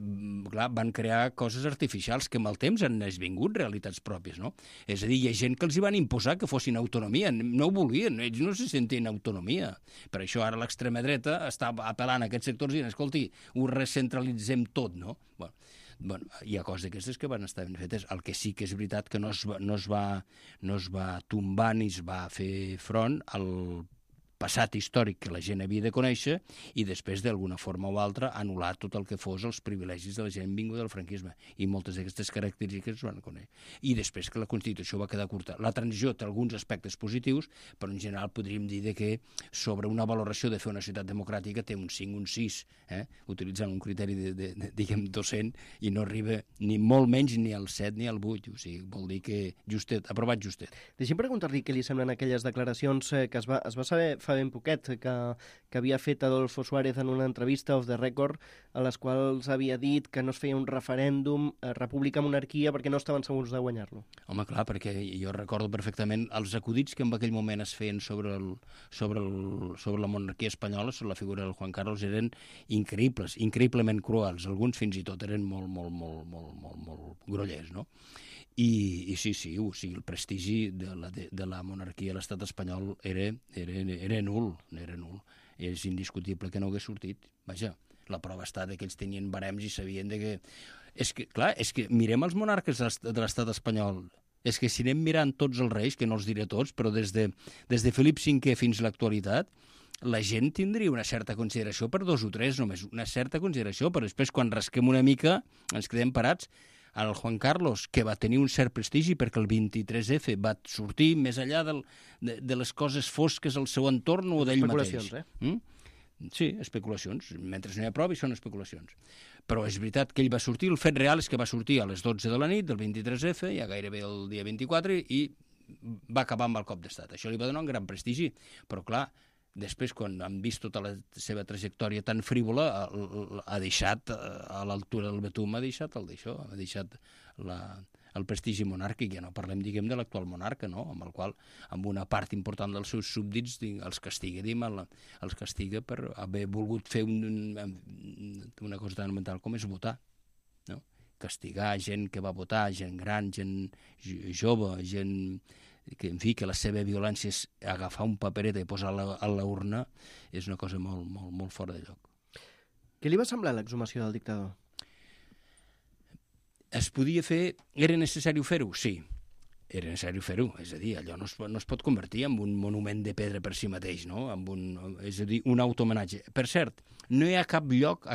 clar, van crear coses artificials que amb el temps han esvingut realitats pròpies, no? És a dir, hi ha gent que els hi van imposar que fossin autonomia, no ho volien, ells no se sentien autonomia. Per això ara l'extrema dreta està apel·lant a aquests sectors i dient, escolti, ho recentralitzem tot, no? Bueno, hi ha coses d'aquestes que van estar ben fetes. El que sí que és veritat que no es va tombar ni es va fer front al passat històric que la gent havia de conèixer i després, d'alguna forma o altra, anul·lar tot el que fos els privilegis de la gent vinguda del franquisme. I moltes d'aquestes característiques es van conèixer. I després que la Constitució va quedar curta. La transició té alguns aspectes positius, però en general podríem dir que sobre una valoració de fer una societat democràtica té un 5, un 6, utilitzant un criteri diguem, docent, i no arriba ni molt menys ni al 7 ni al 8. O sigui, vol dir que justet, aprovat justet. Deixi'm preguntar-li què li semblen aquelles declaracions que es va saber fa ben poquet que havia fet Adolfo Suárez en una entrevista off the record, a les quals havia dit que no es feia un referèndum república-monarquia perquè no estaven segurs de guanyar-lo. Home, clar, perquè jo recordo perfectament els acudits que en aquell moment es feien sobre la monarquia espanyola, sobre la figura del Juan Carlos, eren increïbles, increïblement cruels. Alguns fins i tot eren molt grollers, no? I sí, o sigui, el prestigi de la monarquia a l'estat espanyol era nul. És indiscutible que no hagués sortit. Vaja, La prova està que ells tenien barems i sabien que... És que mirem els monarques de l'estat espanyol. És que si anem mirant tots els reis, que no els diré tots, però des de Felip V fins a l'actualitat, la gent tindria una certa consideració per 2 o 3, només una certa consideració, però després quan rasquem una mica ens quedem parats. El Juan Carlos, que va tenir un cert prestigi perquè el 23F va sortir més enllà de les coses fosques al seu entorn o d'ell mateix. Especulacions, Sí, especulacions. Mentre no hi ha prova, són especulacions. Però és veritat que ell va sortir, el fet real és que va sortir a les 12 de la nit del 23F, ja gairebé el dia 24, i va acabar amb el cop d'estat. Això li va donar un gran prestigi, però clar, després, quan han vist tota la seva trajectòria tan frívola, ha deixat, a l'altura del Betum, ha deixat el prestigi monàrquic. Ja no parlem, diguem, de l'actual monarca, no? Amb el qual, amb una part important dels seus súbdits, els castiga, els castiga per haver volgut fer una cosa tan elemental com és votar, no? Castigar gent que va votar, gent gran, gent jove, gent que, en fi, que la seva violència és agafar un paperet i posar-la a la urna, és una cosa molt, molt, molt fora de lloc. Què li va semblar l'exhumació del dictador? Es podia fer... Era necessari fer-ho? Sí, era necessari fer-ho. És a dir, allò no es pot convertir en un monument de pedra per si mateix, no? És a dir, un autohomenatge. Per cert, no hi ha cap lloc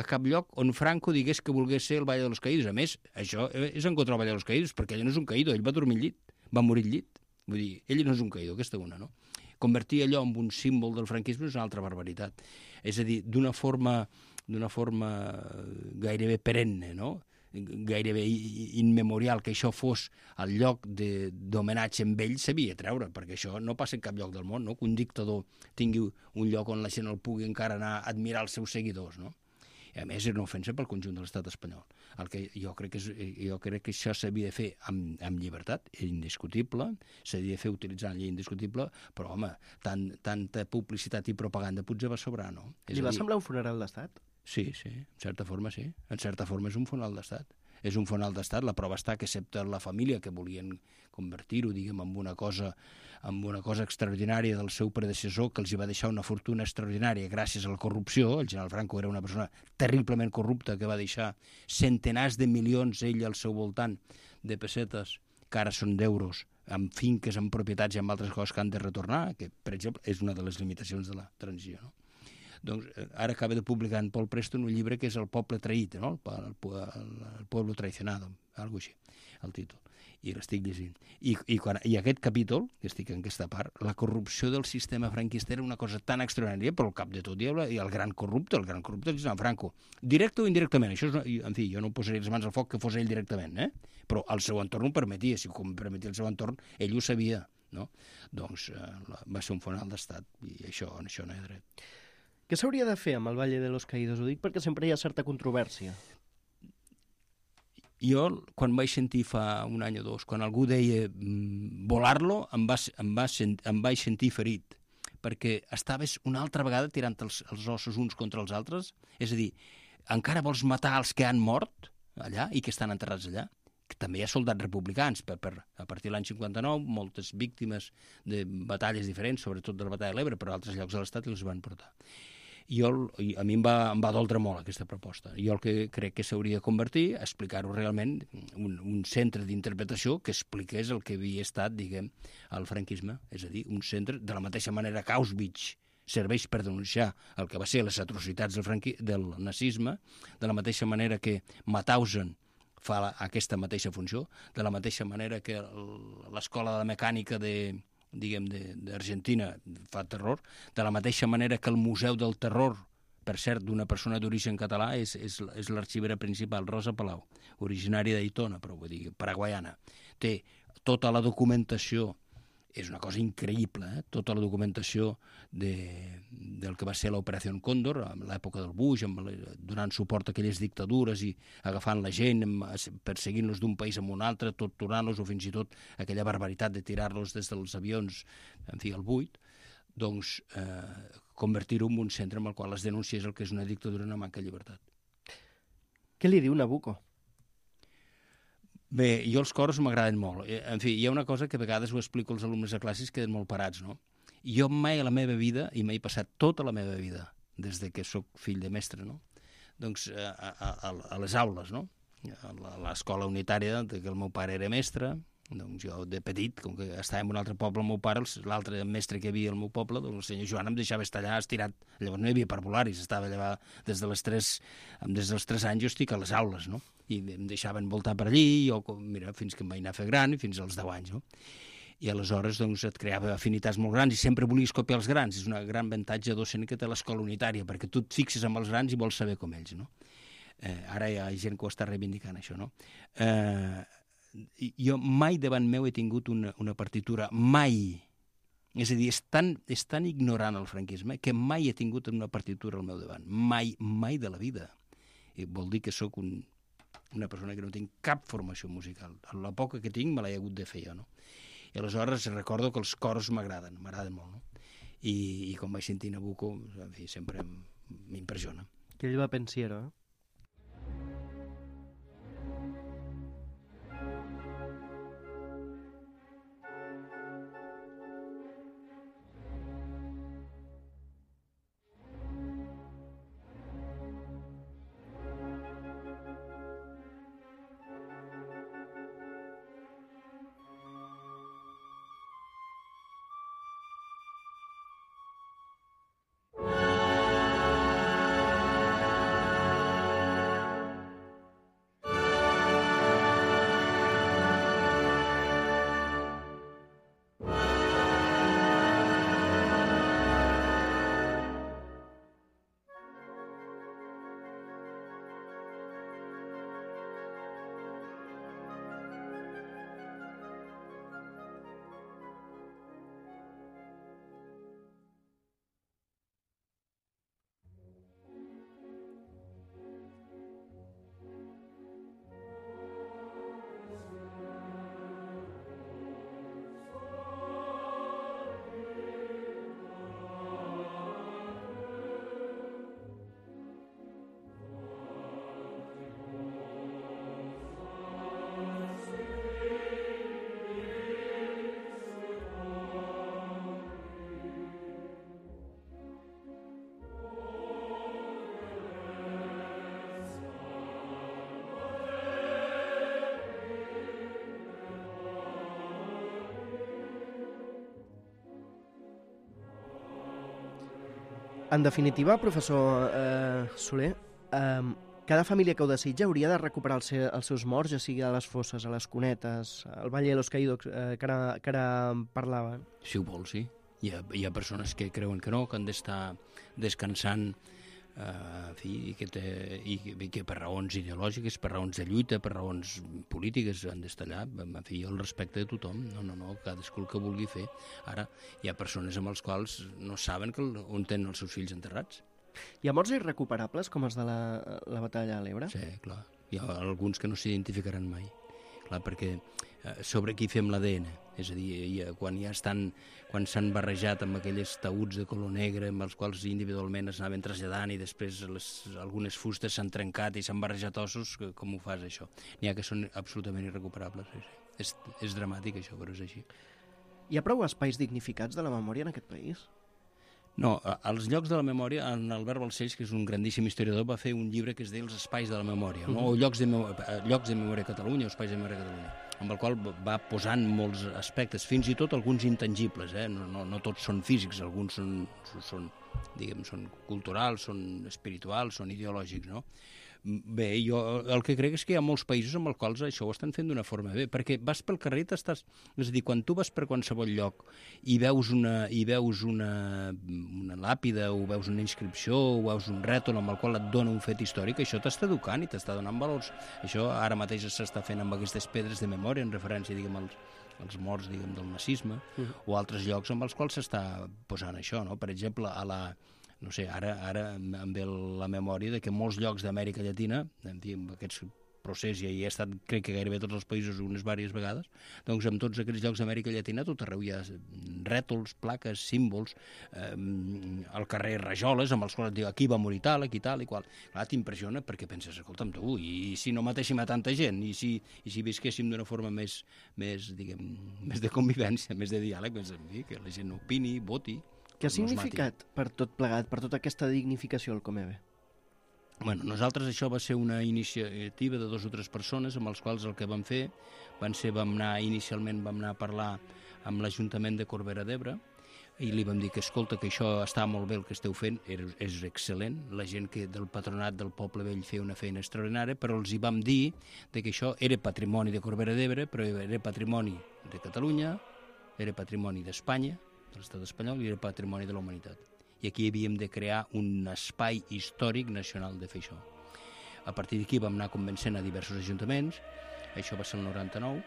on Franco digués que volgués ser el Valle de los Caídos. A més, això és en contra del Valle de los Caídos, perquè ell no és un caído, ell va dormir al llit, va morir al llit. Vull dir, ell no és un caïdor, aquesta una, no? Convertir allò en un símbol del franquisme és una altra barbaritat. És a dir, d'una forma gairebé perenne, no? Gairebé immemorial, que això fos el lloc d'homenatge amb ell, s'havia de treure, perquè això no passa en cap lloc del món, no? Que un dictador tingui un lloc on la gent el pugui encara anar a admirar els seus seguidors, no? I a més, és una ofensa pel conjunt de l'estat espanyol. El que jo crec que això s'havia de fer amb llibertat, indiscutible, s'havia de fer utilitzant llei indiscutible, però, home, tanta publicitat i propaganda potser va sobrar, no? Li va semblar un funeral d'estat? Sí, en certa forma sí. En certa forma és un funeral d'estat. És un funeral d'estat, la prova està que excepte la família que volien convertir-ho, diguem, en una cosa extraordinària del seu predecessor, que els hi va deixar una fortuna extraordinària gràcies a la corrupció. El general Franco era una persona terriblement corrupta que va deixar centenars de milions ell al seu voltant de pessetes, que ara són d'euros, amb finques, amb propietats i amb altres coses que han de retornar, que, per exemple, és una de les limitacions de la transició, no? Doncs ara acaba de publicar en Paul Preston un llibre que és El poble traït, no? El pueblo traicionado, algo així, el títol. I l'estic llegint. I aquest capítol, que estic en aquesta part, la corrupció del sistema franquista era una cosa tan extraordinària, però al cap de tot hi ha el gran corrupte és Franco. Directe o indirectament, això és, en fi, jo no posaria les mans al foc que fos ell directament, però el seu entorn ho permetia, si ho permetia el seu entorn, ell ho sabia, no? Doncs va ser un funeral d'estat, i això no hi ha dret. Què s'hauria de fer amb el Valle de los Caídos? Ho dic perquè sempre hi ha certa controvèrsia. Jo, quan vaig sentir fa un any o dos, quan algú deia volar-lo, em vaig sentir ferit, perquè estaves una altra vegada tirant els ossos uns contra els altres. És a dir, encara vols matar els que han mort allà i que estan enterrats allà? Que també hi ha soldats republicans. A partir de l'any 59, moltes víctimes de batalles diferents, sobretot de la batalla de l'Ebre, però a altres llocs de l'Estat els van portar. A mi em va doldre molt aquesta proposta. Jo el que crec que s'hauria de convertir, explicar-ho realment, un centre d'interpretació que expliqués el que havia estat, diguem, el franquisme. És a dir, un centre, de la mateixa manera que Auschwitz serveix per denunciar el que va ser les atrocitats del nazisme, de la mateixa manera que Mauthausen fa aquesta mateixa funció, de la mateixa manera que l'escola de mecànica d'Argentina fa terror, de la mateixa manera que el Museu del Terror, per cert, d'una persona d'origen català, és l'arxivera principal, Rosa Palau, originària d'Aitona, però vull dir, paraguaiana. Té tota la documentació, és una cosa increïble, tota la documentació del que va ser l'Operació Còndor, a l'època del Bush, donant suport a aquelles dictadures i agafant la gent, perseguint-los d'un país a un altre, torturant-los, o fins i tot aquella barbaritat de tirar-los des dels avions, en fi, al buit, doncs convertir-ho en un centre en el qual es denunciés el que és una dictadura i una manca de llibertat. Què li diu Nabucco? Bé, jo els coros m'agraden molt. En fi, hi ha una cosa que a vegades ho explico als alumnes de classes que queden molt parats, no? Jo mai a la meva vida, i m'he passat tota la meva vida, des de que sóc fill de mestre, no? doncs, a les aules, no? A l'escola unitària, que el meu pare era mestre, doncs jo de petit, com que estava en un altre poble el meu pare, l'altre mestre que hi havia al meu poble, doncs el senyor Joan em deixava estar allà estirat. Llavors no hi havia parvularis, estava allà des dels 3 anys jo estic a les aules, no? I em deixaven voltar per allí, jo, mira, fins que em vaig anar a fer gran, fins als 10 anys, no? I aleshores doncs, et creava afinitats molt grans i sempre volies copiar els grans. És un gran avantatge docent que té l'escola unitària, perquè tu et fixes amb els grans i vols saber com ells, no? Ara hi ha gent que ho està reivindicant, això, no? Jo mai davant meu he tingut una partitura, mai. És a dir, és tan ignorant el franquisme que mai he tingut una partitura al meu davant. Mai de la vida. I vol dir que sóc una persona que no tinc cap formació musical. La poca que tinc me l'he hagut de fer jo, no? I aleshores recordo que els cors m'agraden molt, no? I com vaig sentir Nabucco, en fi, sempre m'impressiona. Que ell va pensiero, eh? En definitiva, professor Soler, cada família que ho desitja hauria de recuperar els seus morts, ja sigui a les fosses, a les cunetes, al Valle de los Caídos, que ara parlava. Si ho vol, sí. Hi ha persones que creuen que no, que han d'estar descansant, en fi, i que per raons ideològiques, per raons de lluita, per raons polítiques han d'estar allà. En fi, el respecte de tothom. No, cadascú el que vulgui fer. Ara, hi ha persones amb els quals no saben on tenen els seus fills enterrats. Hi ha morts irrecuperables, com els de la batalla a l'Ebre? Sí, clar. Hi ha alguns que no s'identificaran mai. Clar, perquè sobre qui fem l'ADN. És a dir, quan s'han barrejat amb aquells taüts de color negre amb els quals individualment es anaven traslladant i després algunes fustes s'han trencat i s'han barrejat ossos, com ho fas, això? N'hi ha que són absolutament irrecuperables. Sí. És dramàtic, això, però és així. Hi ha prou espais dignificats de la memòria en aquest país? No, als llocs de la memòria, en Albert Balcells, que és un grandíssim historiador, va fer un llibre que es deia Els espais de la memòria, no? O llocs de memòria a Catalunya, o espais de memòria a Catalunya, amb el qual va posant molts aspectes, fins i tot alguns intangibles, no tots són físics, alguns són culturals, són espirituals, són ideològics, no? Bé, jo el que crec és que hi ha molts països amb els quals això ho estan fent d'una forma bé, perquè vas pel carrer i és a dir, quan tu vas per qualsevol lloc i veus una làpida o veus una inscripció o veus un rètol amb el qual et dona un fet històric, això t'està educant i t'està donant valors. Això ara mateix s'està fent amb aquestes pedres de memòria en referència, diguem, als morts, diguem, del nazisme, o altres llocs amb els quals s'està posant això, no? Per exemple, no sé, ara em ve la memòria de que molts llocs d'Amèrica Llatina, en aquests procés ja he estat, crec que gairebé tots els països unes diverses vegades, doncs en tots aquests llocs d'Amèrica Llatina tot arreu hi ha rètols, plaques, símbols, al carrer rajoles amb els quals et diu aquí va morir tal, aquí tal i qual. Clar, t'impressiona perquè penses, escolta'm tu, i si no matéssim a tanta gent, i si visquéssim d'una forma més de convivència, més de diàleg, que la gent opini, voti. Què ha significat per tot plegat, per tota aquesta dignificació el Comebe? Bueno, nosaltres això va ser una iniciativa de 2 o 3 persones amb els quals el que vam fer vam anar a parlar amb l'Ajuntament de Corbera d'Ebre i li vam dir que, escolta, que això està molt bé el que esteu fent, és excel·lent, la gent que del patronat del Poble Vell feia una feina extraordinària, però els hi vam dir que això era patrimoni de Corbera d'Ebre, però era patrimoni de Catalunya, era patrimoni d'Espanya, de l'estat espanyol, i era patrimoni de la humanitat. I aquí havíem de crear un espai històric nacional de fer això. A partir d'aquí vam anar convencent a diversos ajuntaments, això va ser el 99,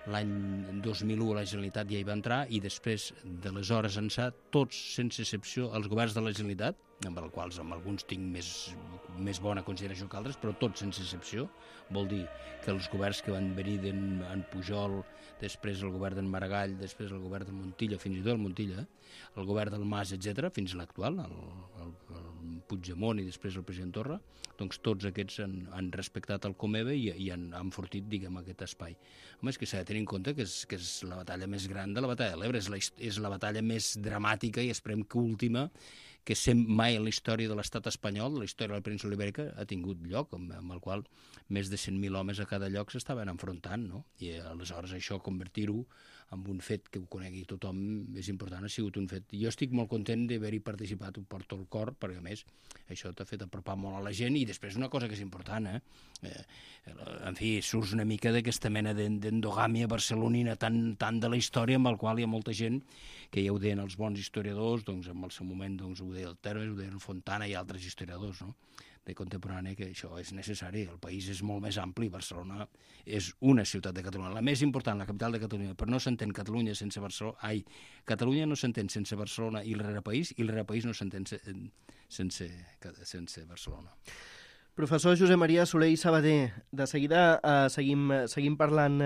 l'any 2001 la Generalitat ja hi va entrar i després de les hores ençà, tots sense excepció, els governs de la Generalitat, amb els quals amb alguns tinc més bona consideració que altres, però tots sense excepció, vol dir que els governs que van venir d'en Pujol, després el govern d'en Maragall, després el govern del Montilla, fins i tot el Montilla, el govern del Mas, etc., fins a l'actual, el Puigdemont i després el president Torra, doncs tots aquests han respectat el Comeve i han enfortit, diguem, aquest espai. Home, és que s'ha de tenir en compte que és la batalla més gran de la batalla de l'Ebre, és la batalla més dramàtica i esperem que última que mai en la història de l'estat espanyol, la història de la península ibèrica, ha tingut lloc, amb el qual més de 100.000 homes a cada lloc s'estaven enfrontant, no? I aleshores això, convertir-ho en un fet que ho conegui tothom, és important, ha sigut un fet. Jo estic molt content d'haver-hi participat, ho porto al cor, perquè a més això t'ha fet apropar molt a la gent, i després una cosa que és important, en fi, surts una mica d'aquesta mena d'endogàmia barcelonina tan de la història, amb el qual hi ha molta gent que ja ho deien els bons historiadors, doncs en el seu moment doncs, ho deia el Termes, ho deia el Fontana i altres historiadors, no?, de contemporani, que això és necessari. El país és molt més ampli, Barcelona és una ciutat de Catalunya, la més important, la capital de Catalunya, però no s'entén Catalunya sense Barcelona, Catalunya no s'entén sense Barcelona i el rerepaís no s'entén sense Barcelona. Professor Josep Maria Soler i Sabater, de seguida seguim parlant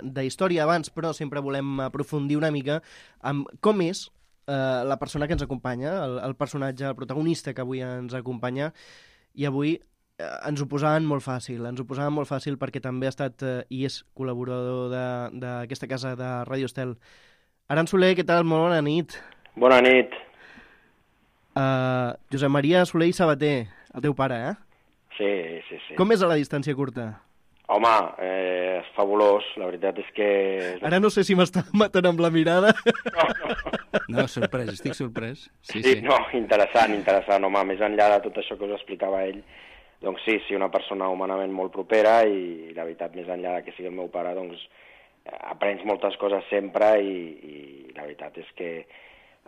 de història abans, però sempre volem aprofundir una mica amb com és la persona que ens acompanya, el personatge, el protagonista que avui ens acompanya, i avui ens ho posaven molt fàcil perquè també ha estat i és col·laborador d'aquesta casa de Ràdio Estel. Aran Soler, què tal? Molt bona nit. Bona nit. Josep Maria Soler i Sabater, el teu pare, Sí. Com és a la distància curta? Home, és fabulós, la veritat és que... Ara no sé si m'està matant amb la mirada. No, sorprès, estic sorprès. Sí. No, interessant, home, més enllà de tot això que us explicava ell, doncs sí, una persona humanament molt propera i la veritat, més enllà que sigui el meu pare, doncs aprens moltes coses sempre i la veritat és que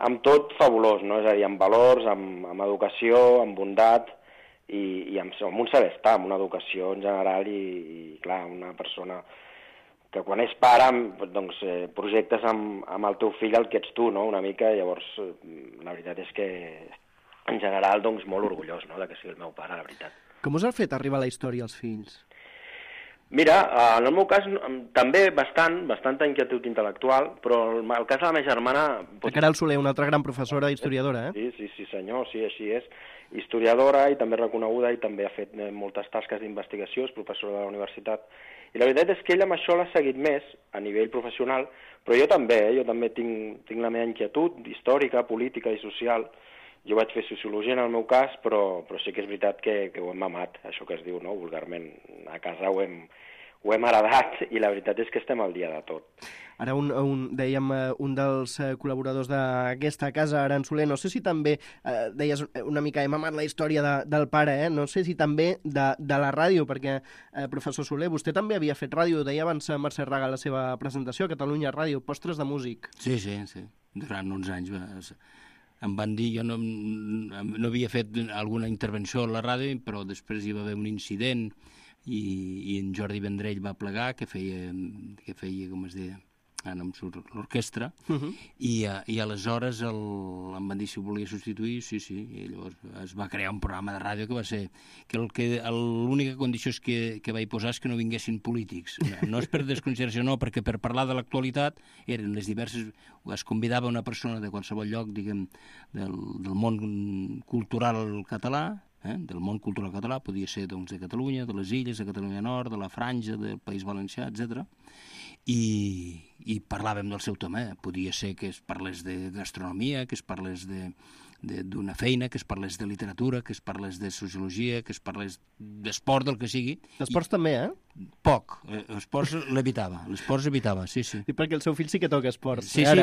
amb tot fabulós, no? És a dir, amb valors, amb educació, amb bondat, i amb un saber estar, amb una educació en general i clar, una persona que quan és pare doncs, projectes amb el teu fill el que ets tu, no? Una mica, llavors la veritat és que en general doncs, molt orgullós, no? De que sigui el meu pare, la veritat. Com us ha fet arribar la història als fills? Mira, en el meu cas també bastanta inquietud intel·lectual, però el cas de la meva germana... La Caral Soler, una altra gran professora historiadora, Sí, senyor, sí, així és. Historiadora i també reconeguda i també ha fet moltes tasques d'investigació, és professora de la universitat. I la veritat és que ell amb això l'ha seguit més a nivell professional, però jo també tinc la meva inquietud històrica, política i social. Jo vaig fer sociologia en el meu cas, però sí que és veritat que ho hem mamat, això que es diu, no? Vulgarment. A casa ho hem heredat i la veritat és que estem al dia de tot. Ara dèiem un dels col·laboradors d'aquesta casa, Aran Soler, no sé si també, deies una mica, hem amat la història del pare, no sé si també de la ràdio, perquè, professor Soler, vostè també havia fet ràdio, deia abans Mercè Raga a la seva presentació, a Catalunya Ràdio, Postres de músic. Sí, durant uns anys em van dir, jo no havia fet alguna intervenció a la ràdio, però després hi va haver un incident i en Jordi Vendrell va plegar, que feia com es deia, no em surt, l'orquestra, i aleshores em van dir si ho volia substituir, sí, i llavors es va crear un programa de ràdio que va ser que l'única condició que vaig posar és que no vinguessin polítics. No és per desconsideració, no, perquè per parlar de l'actualitat eren les diverses... Es convidava una persona de qualsevol lloc, diguem, del món cultural català, del món cultural català, podia ser doncs, de Catalunya, de les Illes, de Catalunya Nord, de la Franja, del País Valencià, etc. I parlàvem del seu tema. Podia ser que es parlés de gastronomia, que es parlés d'una feina, que es parlés de literatura, que es parlés de sociologia, que es parlés d'esport, del que sigui. Esports també, Poc. Esports l'evitava, sí. I perquè el seu fill sí que toca esports. Sí, sí.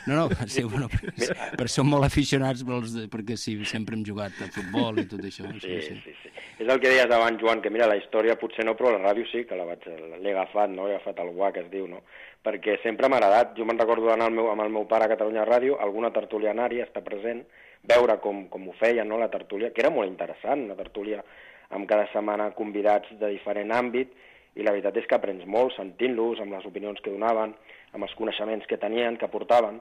No, sí, bueno, però som molt aficionats perquè sí, sempre hem jugat a futbol i tot això. Sí. És el que deies abans, Joan, que mira, la història potser no, però la ràdio sí, que l'he agafat, no? He agafat el guà, que es diu, no? Perquè sempre m'ha agradat. Jo me'n recordo d'anar amb el meu pare a Catalunya Ràdio, alguna tertúlia anar-hi, estar present, veure com ho feien, no?, la tertúlia, que era molt interessant, una tertúlia amb cada setmana convidats de diferent àmbit, i la veritat és que aprens molt sentint-los, amb les opinions que donaven, amb els coneixements que tenien, que portaven,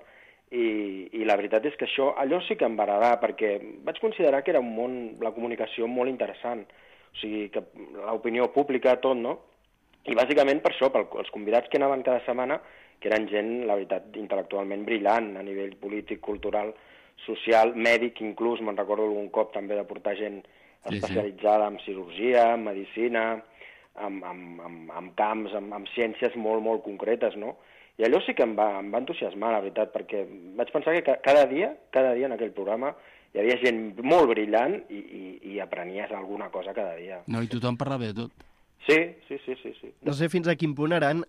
i la veritat és que allò sí que em va agradar, perquè vaig considerar que era un món, la comunicació, molt interessant, o sigui, que l'opinió pública, tot, no? I bàsicament per això, pels convidats que anaven cada setmana, que eren gent, la veritat, intel·lectualment brillant, a nivell polític, cultural, social, mèdic, inclús, me'n recordo algun cop també de portar gent especialitzada en cirurgia, en medicina, amb camps, amb ciències molt, molt concretes, no? I allò sí que em va entusiasmar, la veritat, perquè vaig pensar que cada dia en aquell programa hi havia gent molt brillant i aprenies alguna cosa cada dia. No, i tothom parlava de tot. Sí. No sé fins a quin punt, Aran,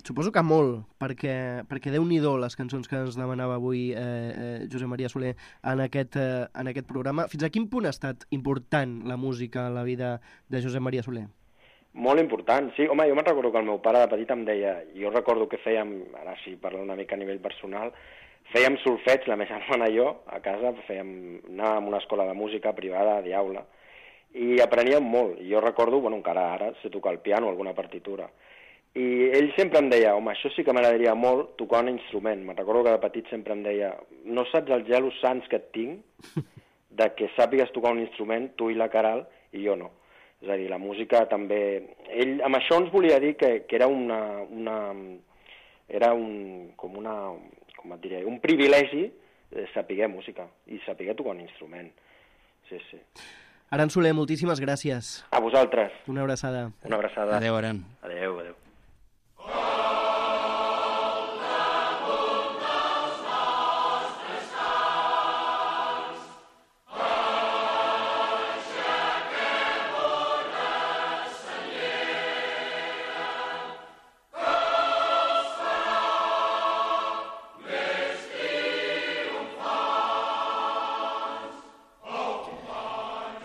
suposo que molt, perquè Déu-n'hi-do les cançons que ens demanava avui Josep Maria Soler en aquest programa. Fins a quin punt ha estat important la música a la vida de Josep Maria Soler? Molt important, sí. Home, jo me'n recordo que el meu pare de petit em deia, jo recordo que fèiem, ara sí, parlant una mica a nivell personal, fèiem solfeig, la meva germana i jo, a casa, anàvem a una escola de música privada, d'Aula, i apreníem molt. I jo recordo, bueno, encara ara sé tocar el piano, alguna partitura. I ell sempre em deia, home, això sí que m'agradaria molt tocar un instrument. Me'n recordo que de petit sempre em deia, no saps els gelos sants que et tinc de que sàpigues tocar un instrument, tu i la Caral, i jo no. És a dir, la música també... Ell amb això ens volia dir que era un privilegi saber música i saber tocar un instrument. Sí. Aran Soler, moltíssimes gràcies. A vosaltres. Una abraçada. Una abraçada. Adéu, Aran. Adéu.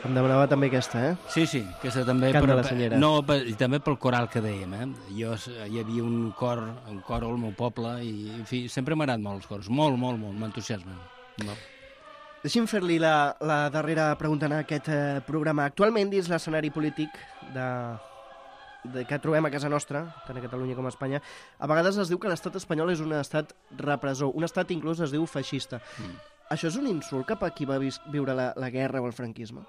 Em demanava també aquesta, Sí, aquesta també. Cant de la Cellera. No, i també pel coral que dèiem, hi havia un cor al meu poble, i, en fi, sempre m'ha agradat molt els cors, molt, m'entusiasmen. Deixi'm fer-li la darrera pregunta en aquest programa. Actualment, dins l'escenari polític que trobem a casa nostra, tant a Catalunya com a Espanya, a vegades es diu que l'estat espanyol és un estat repressor, un estat inclús es diu feixista. Això és un insult cap a qui va viure la guerra o el franquisme?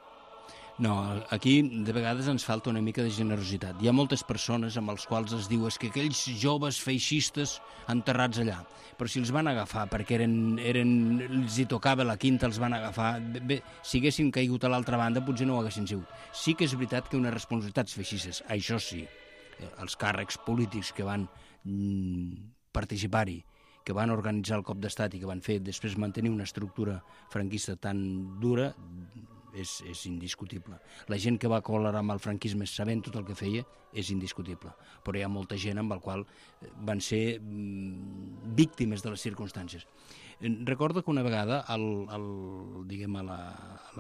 No, aquí de vegades ens falta una mica de generositat. Hi ha moltes persones amb els quals es diu que aquells joves feixistes enterrats allà, però si els van agafar perquè els hi tocava la quinta, els van agafar, bé, si haguessin caigut a l'altra banda potser no ho haguessin sigut. Sí que és veritat que unes responsabilitats feixistes, això sí, els càrrecs polítics que van participar-hi, que van organitzar el cop d'estat i que van fer després mantenir una estructura franquista tan dura, és indiscutible. La gent que va col·laborar amb el franquisme sabent tot el que feia és indiscutible, però hi ha molta gent amb la qual van ser víctimes de les circumstàncies. Recordo que una vegada a la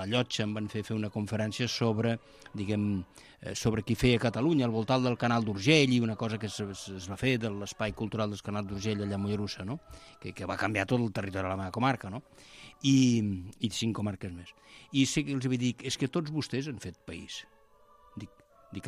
Llotja em van fer una conferència sobre qui feia Catalunya al voltant del Canal d'Urgell, i una cosa que es va fer de l'espai cultural del Canal d'Urgell allà a Mollerussa, no? que va canviar tot el territori de la meva comarca, no? I 5 comarques més. I sí que els vaig dir, és que tots vostès han fet país. Dic,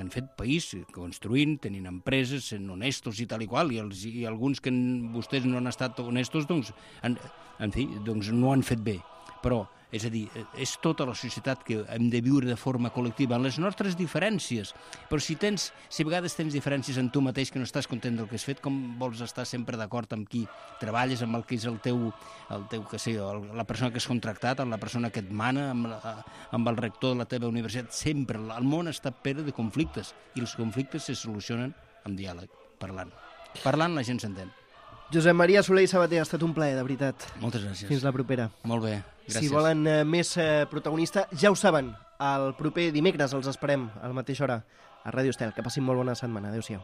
han fet país construint, tenint empreses, sent honestos i tal i qual, i alguns que vostès no han estat honestos, doncs, en fi, doncs no han fet bé. Però, és a dir, és tota la societat que hem de viure de forma col·lectiva, en les nostres diferències. Però si a vegades tens diferències en tu mateix, que no estàs content del que has fet, com vols estar sempre d'acord amb qui treballes, amb el que és el teu que sé, la persona que has contractat, amb la persona que et mana, amb el rector de la teva universitat? Sempre, el món està ple de conflictes, i els conflictes se solucionen amb diàleg, parlant. Parlant la gent s'entén. Josep Maria Soler i Sabater, ha estat un plaer, de veritat. Moltes gràcies. Fins la propera. Molt bé, gràcies. Si volen més protagonista, ja ho saben, el proper dimecres els esperem a la mateixa hora a Ràdio Estel. Que passin molt bona setmana. Adéu-siau.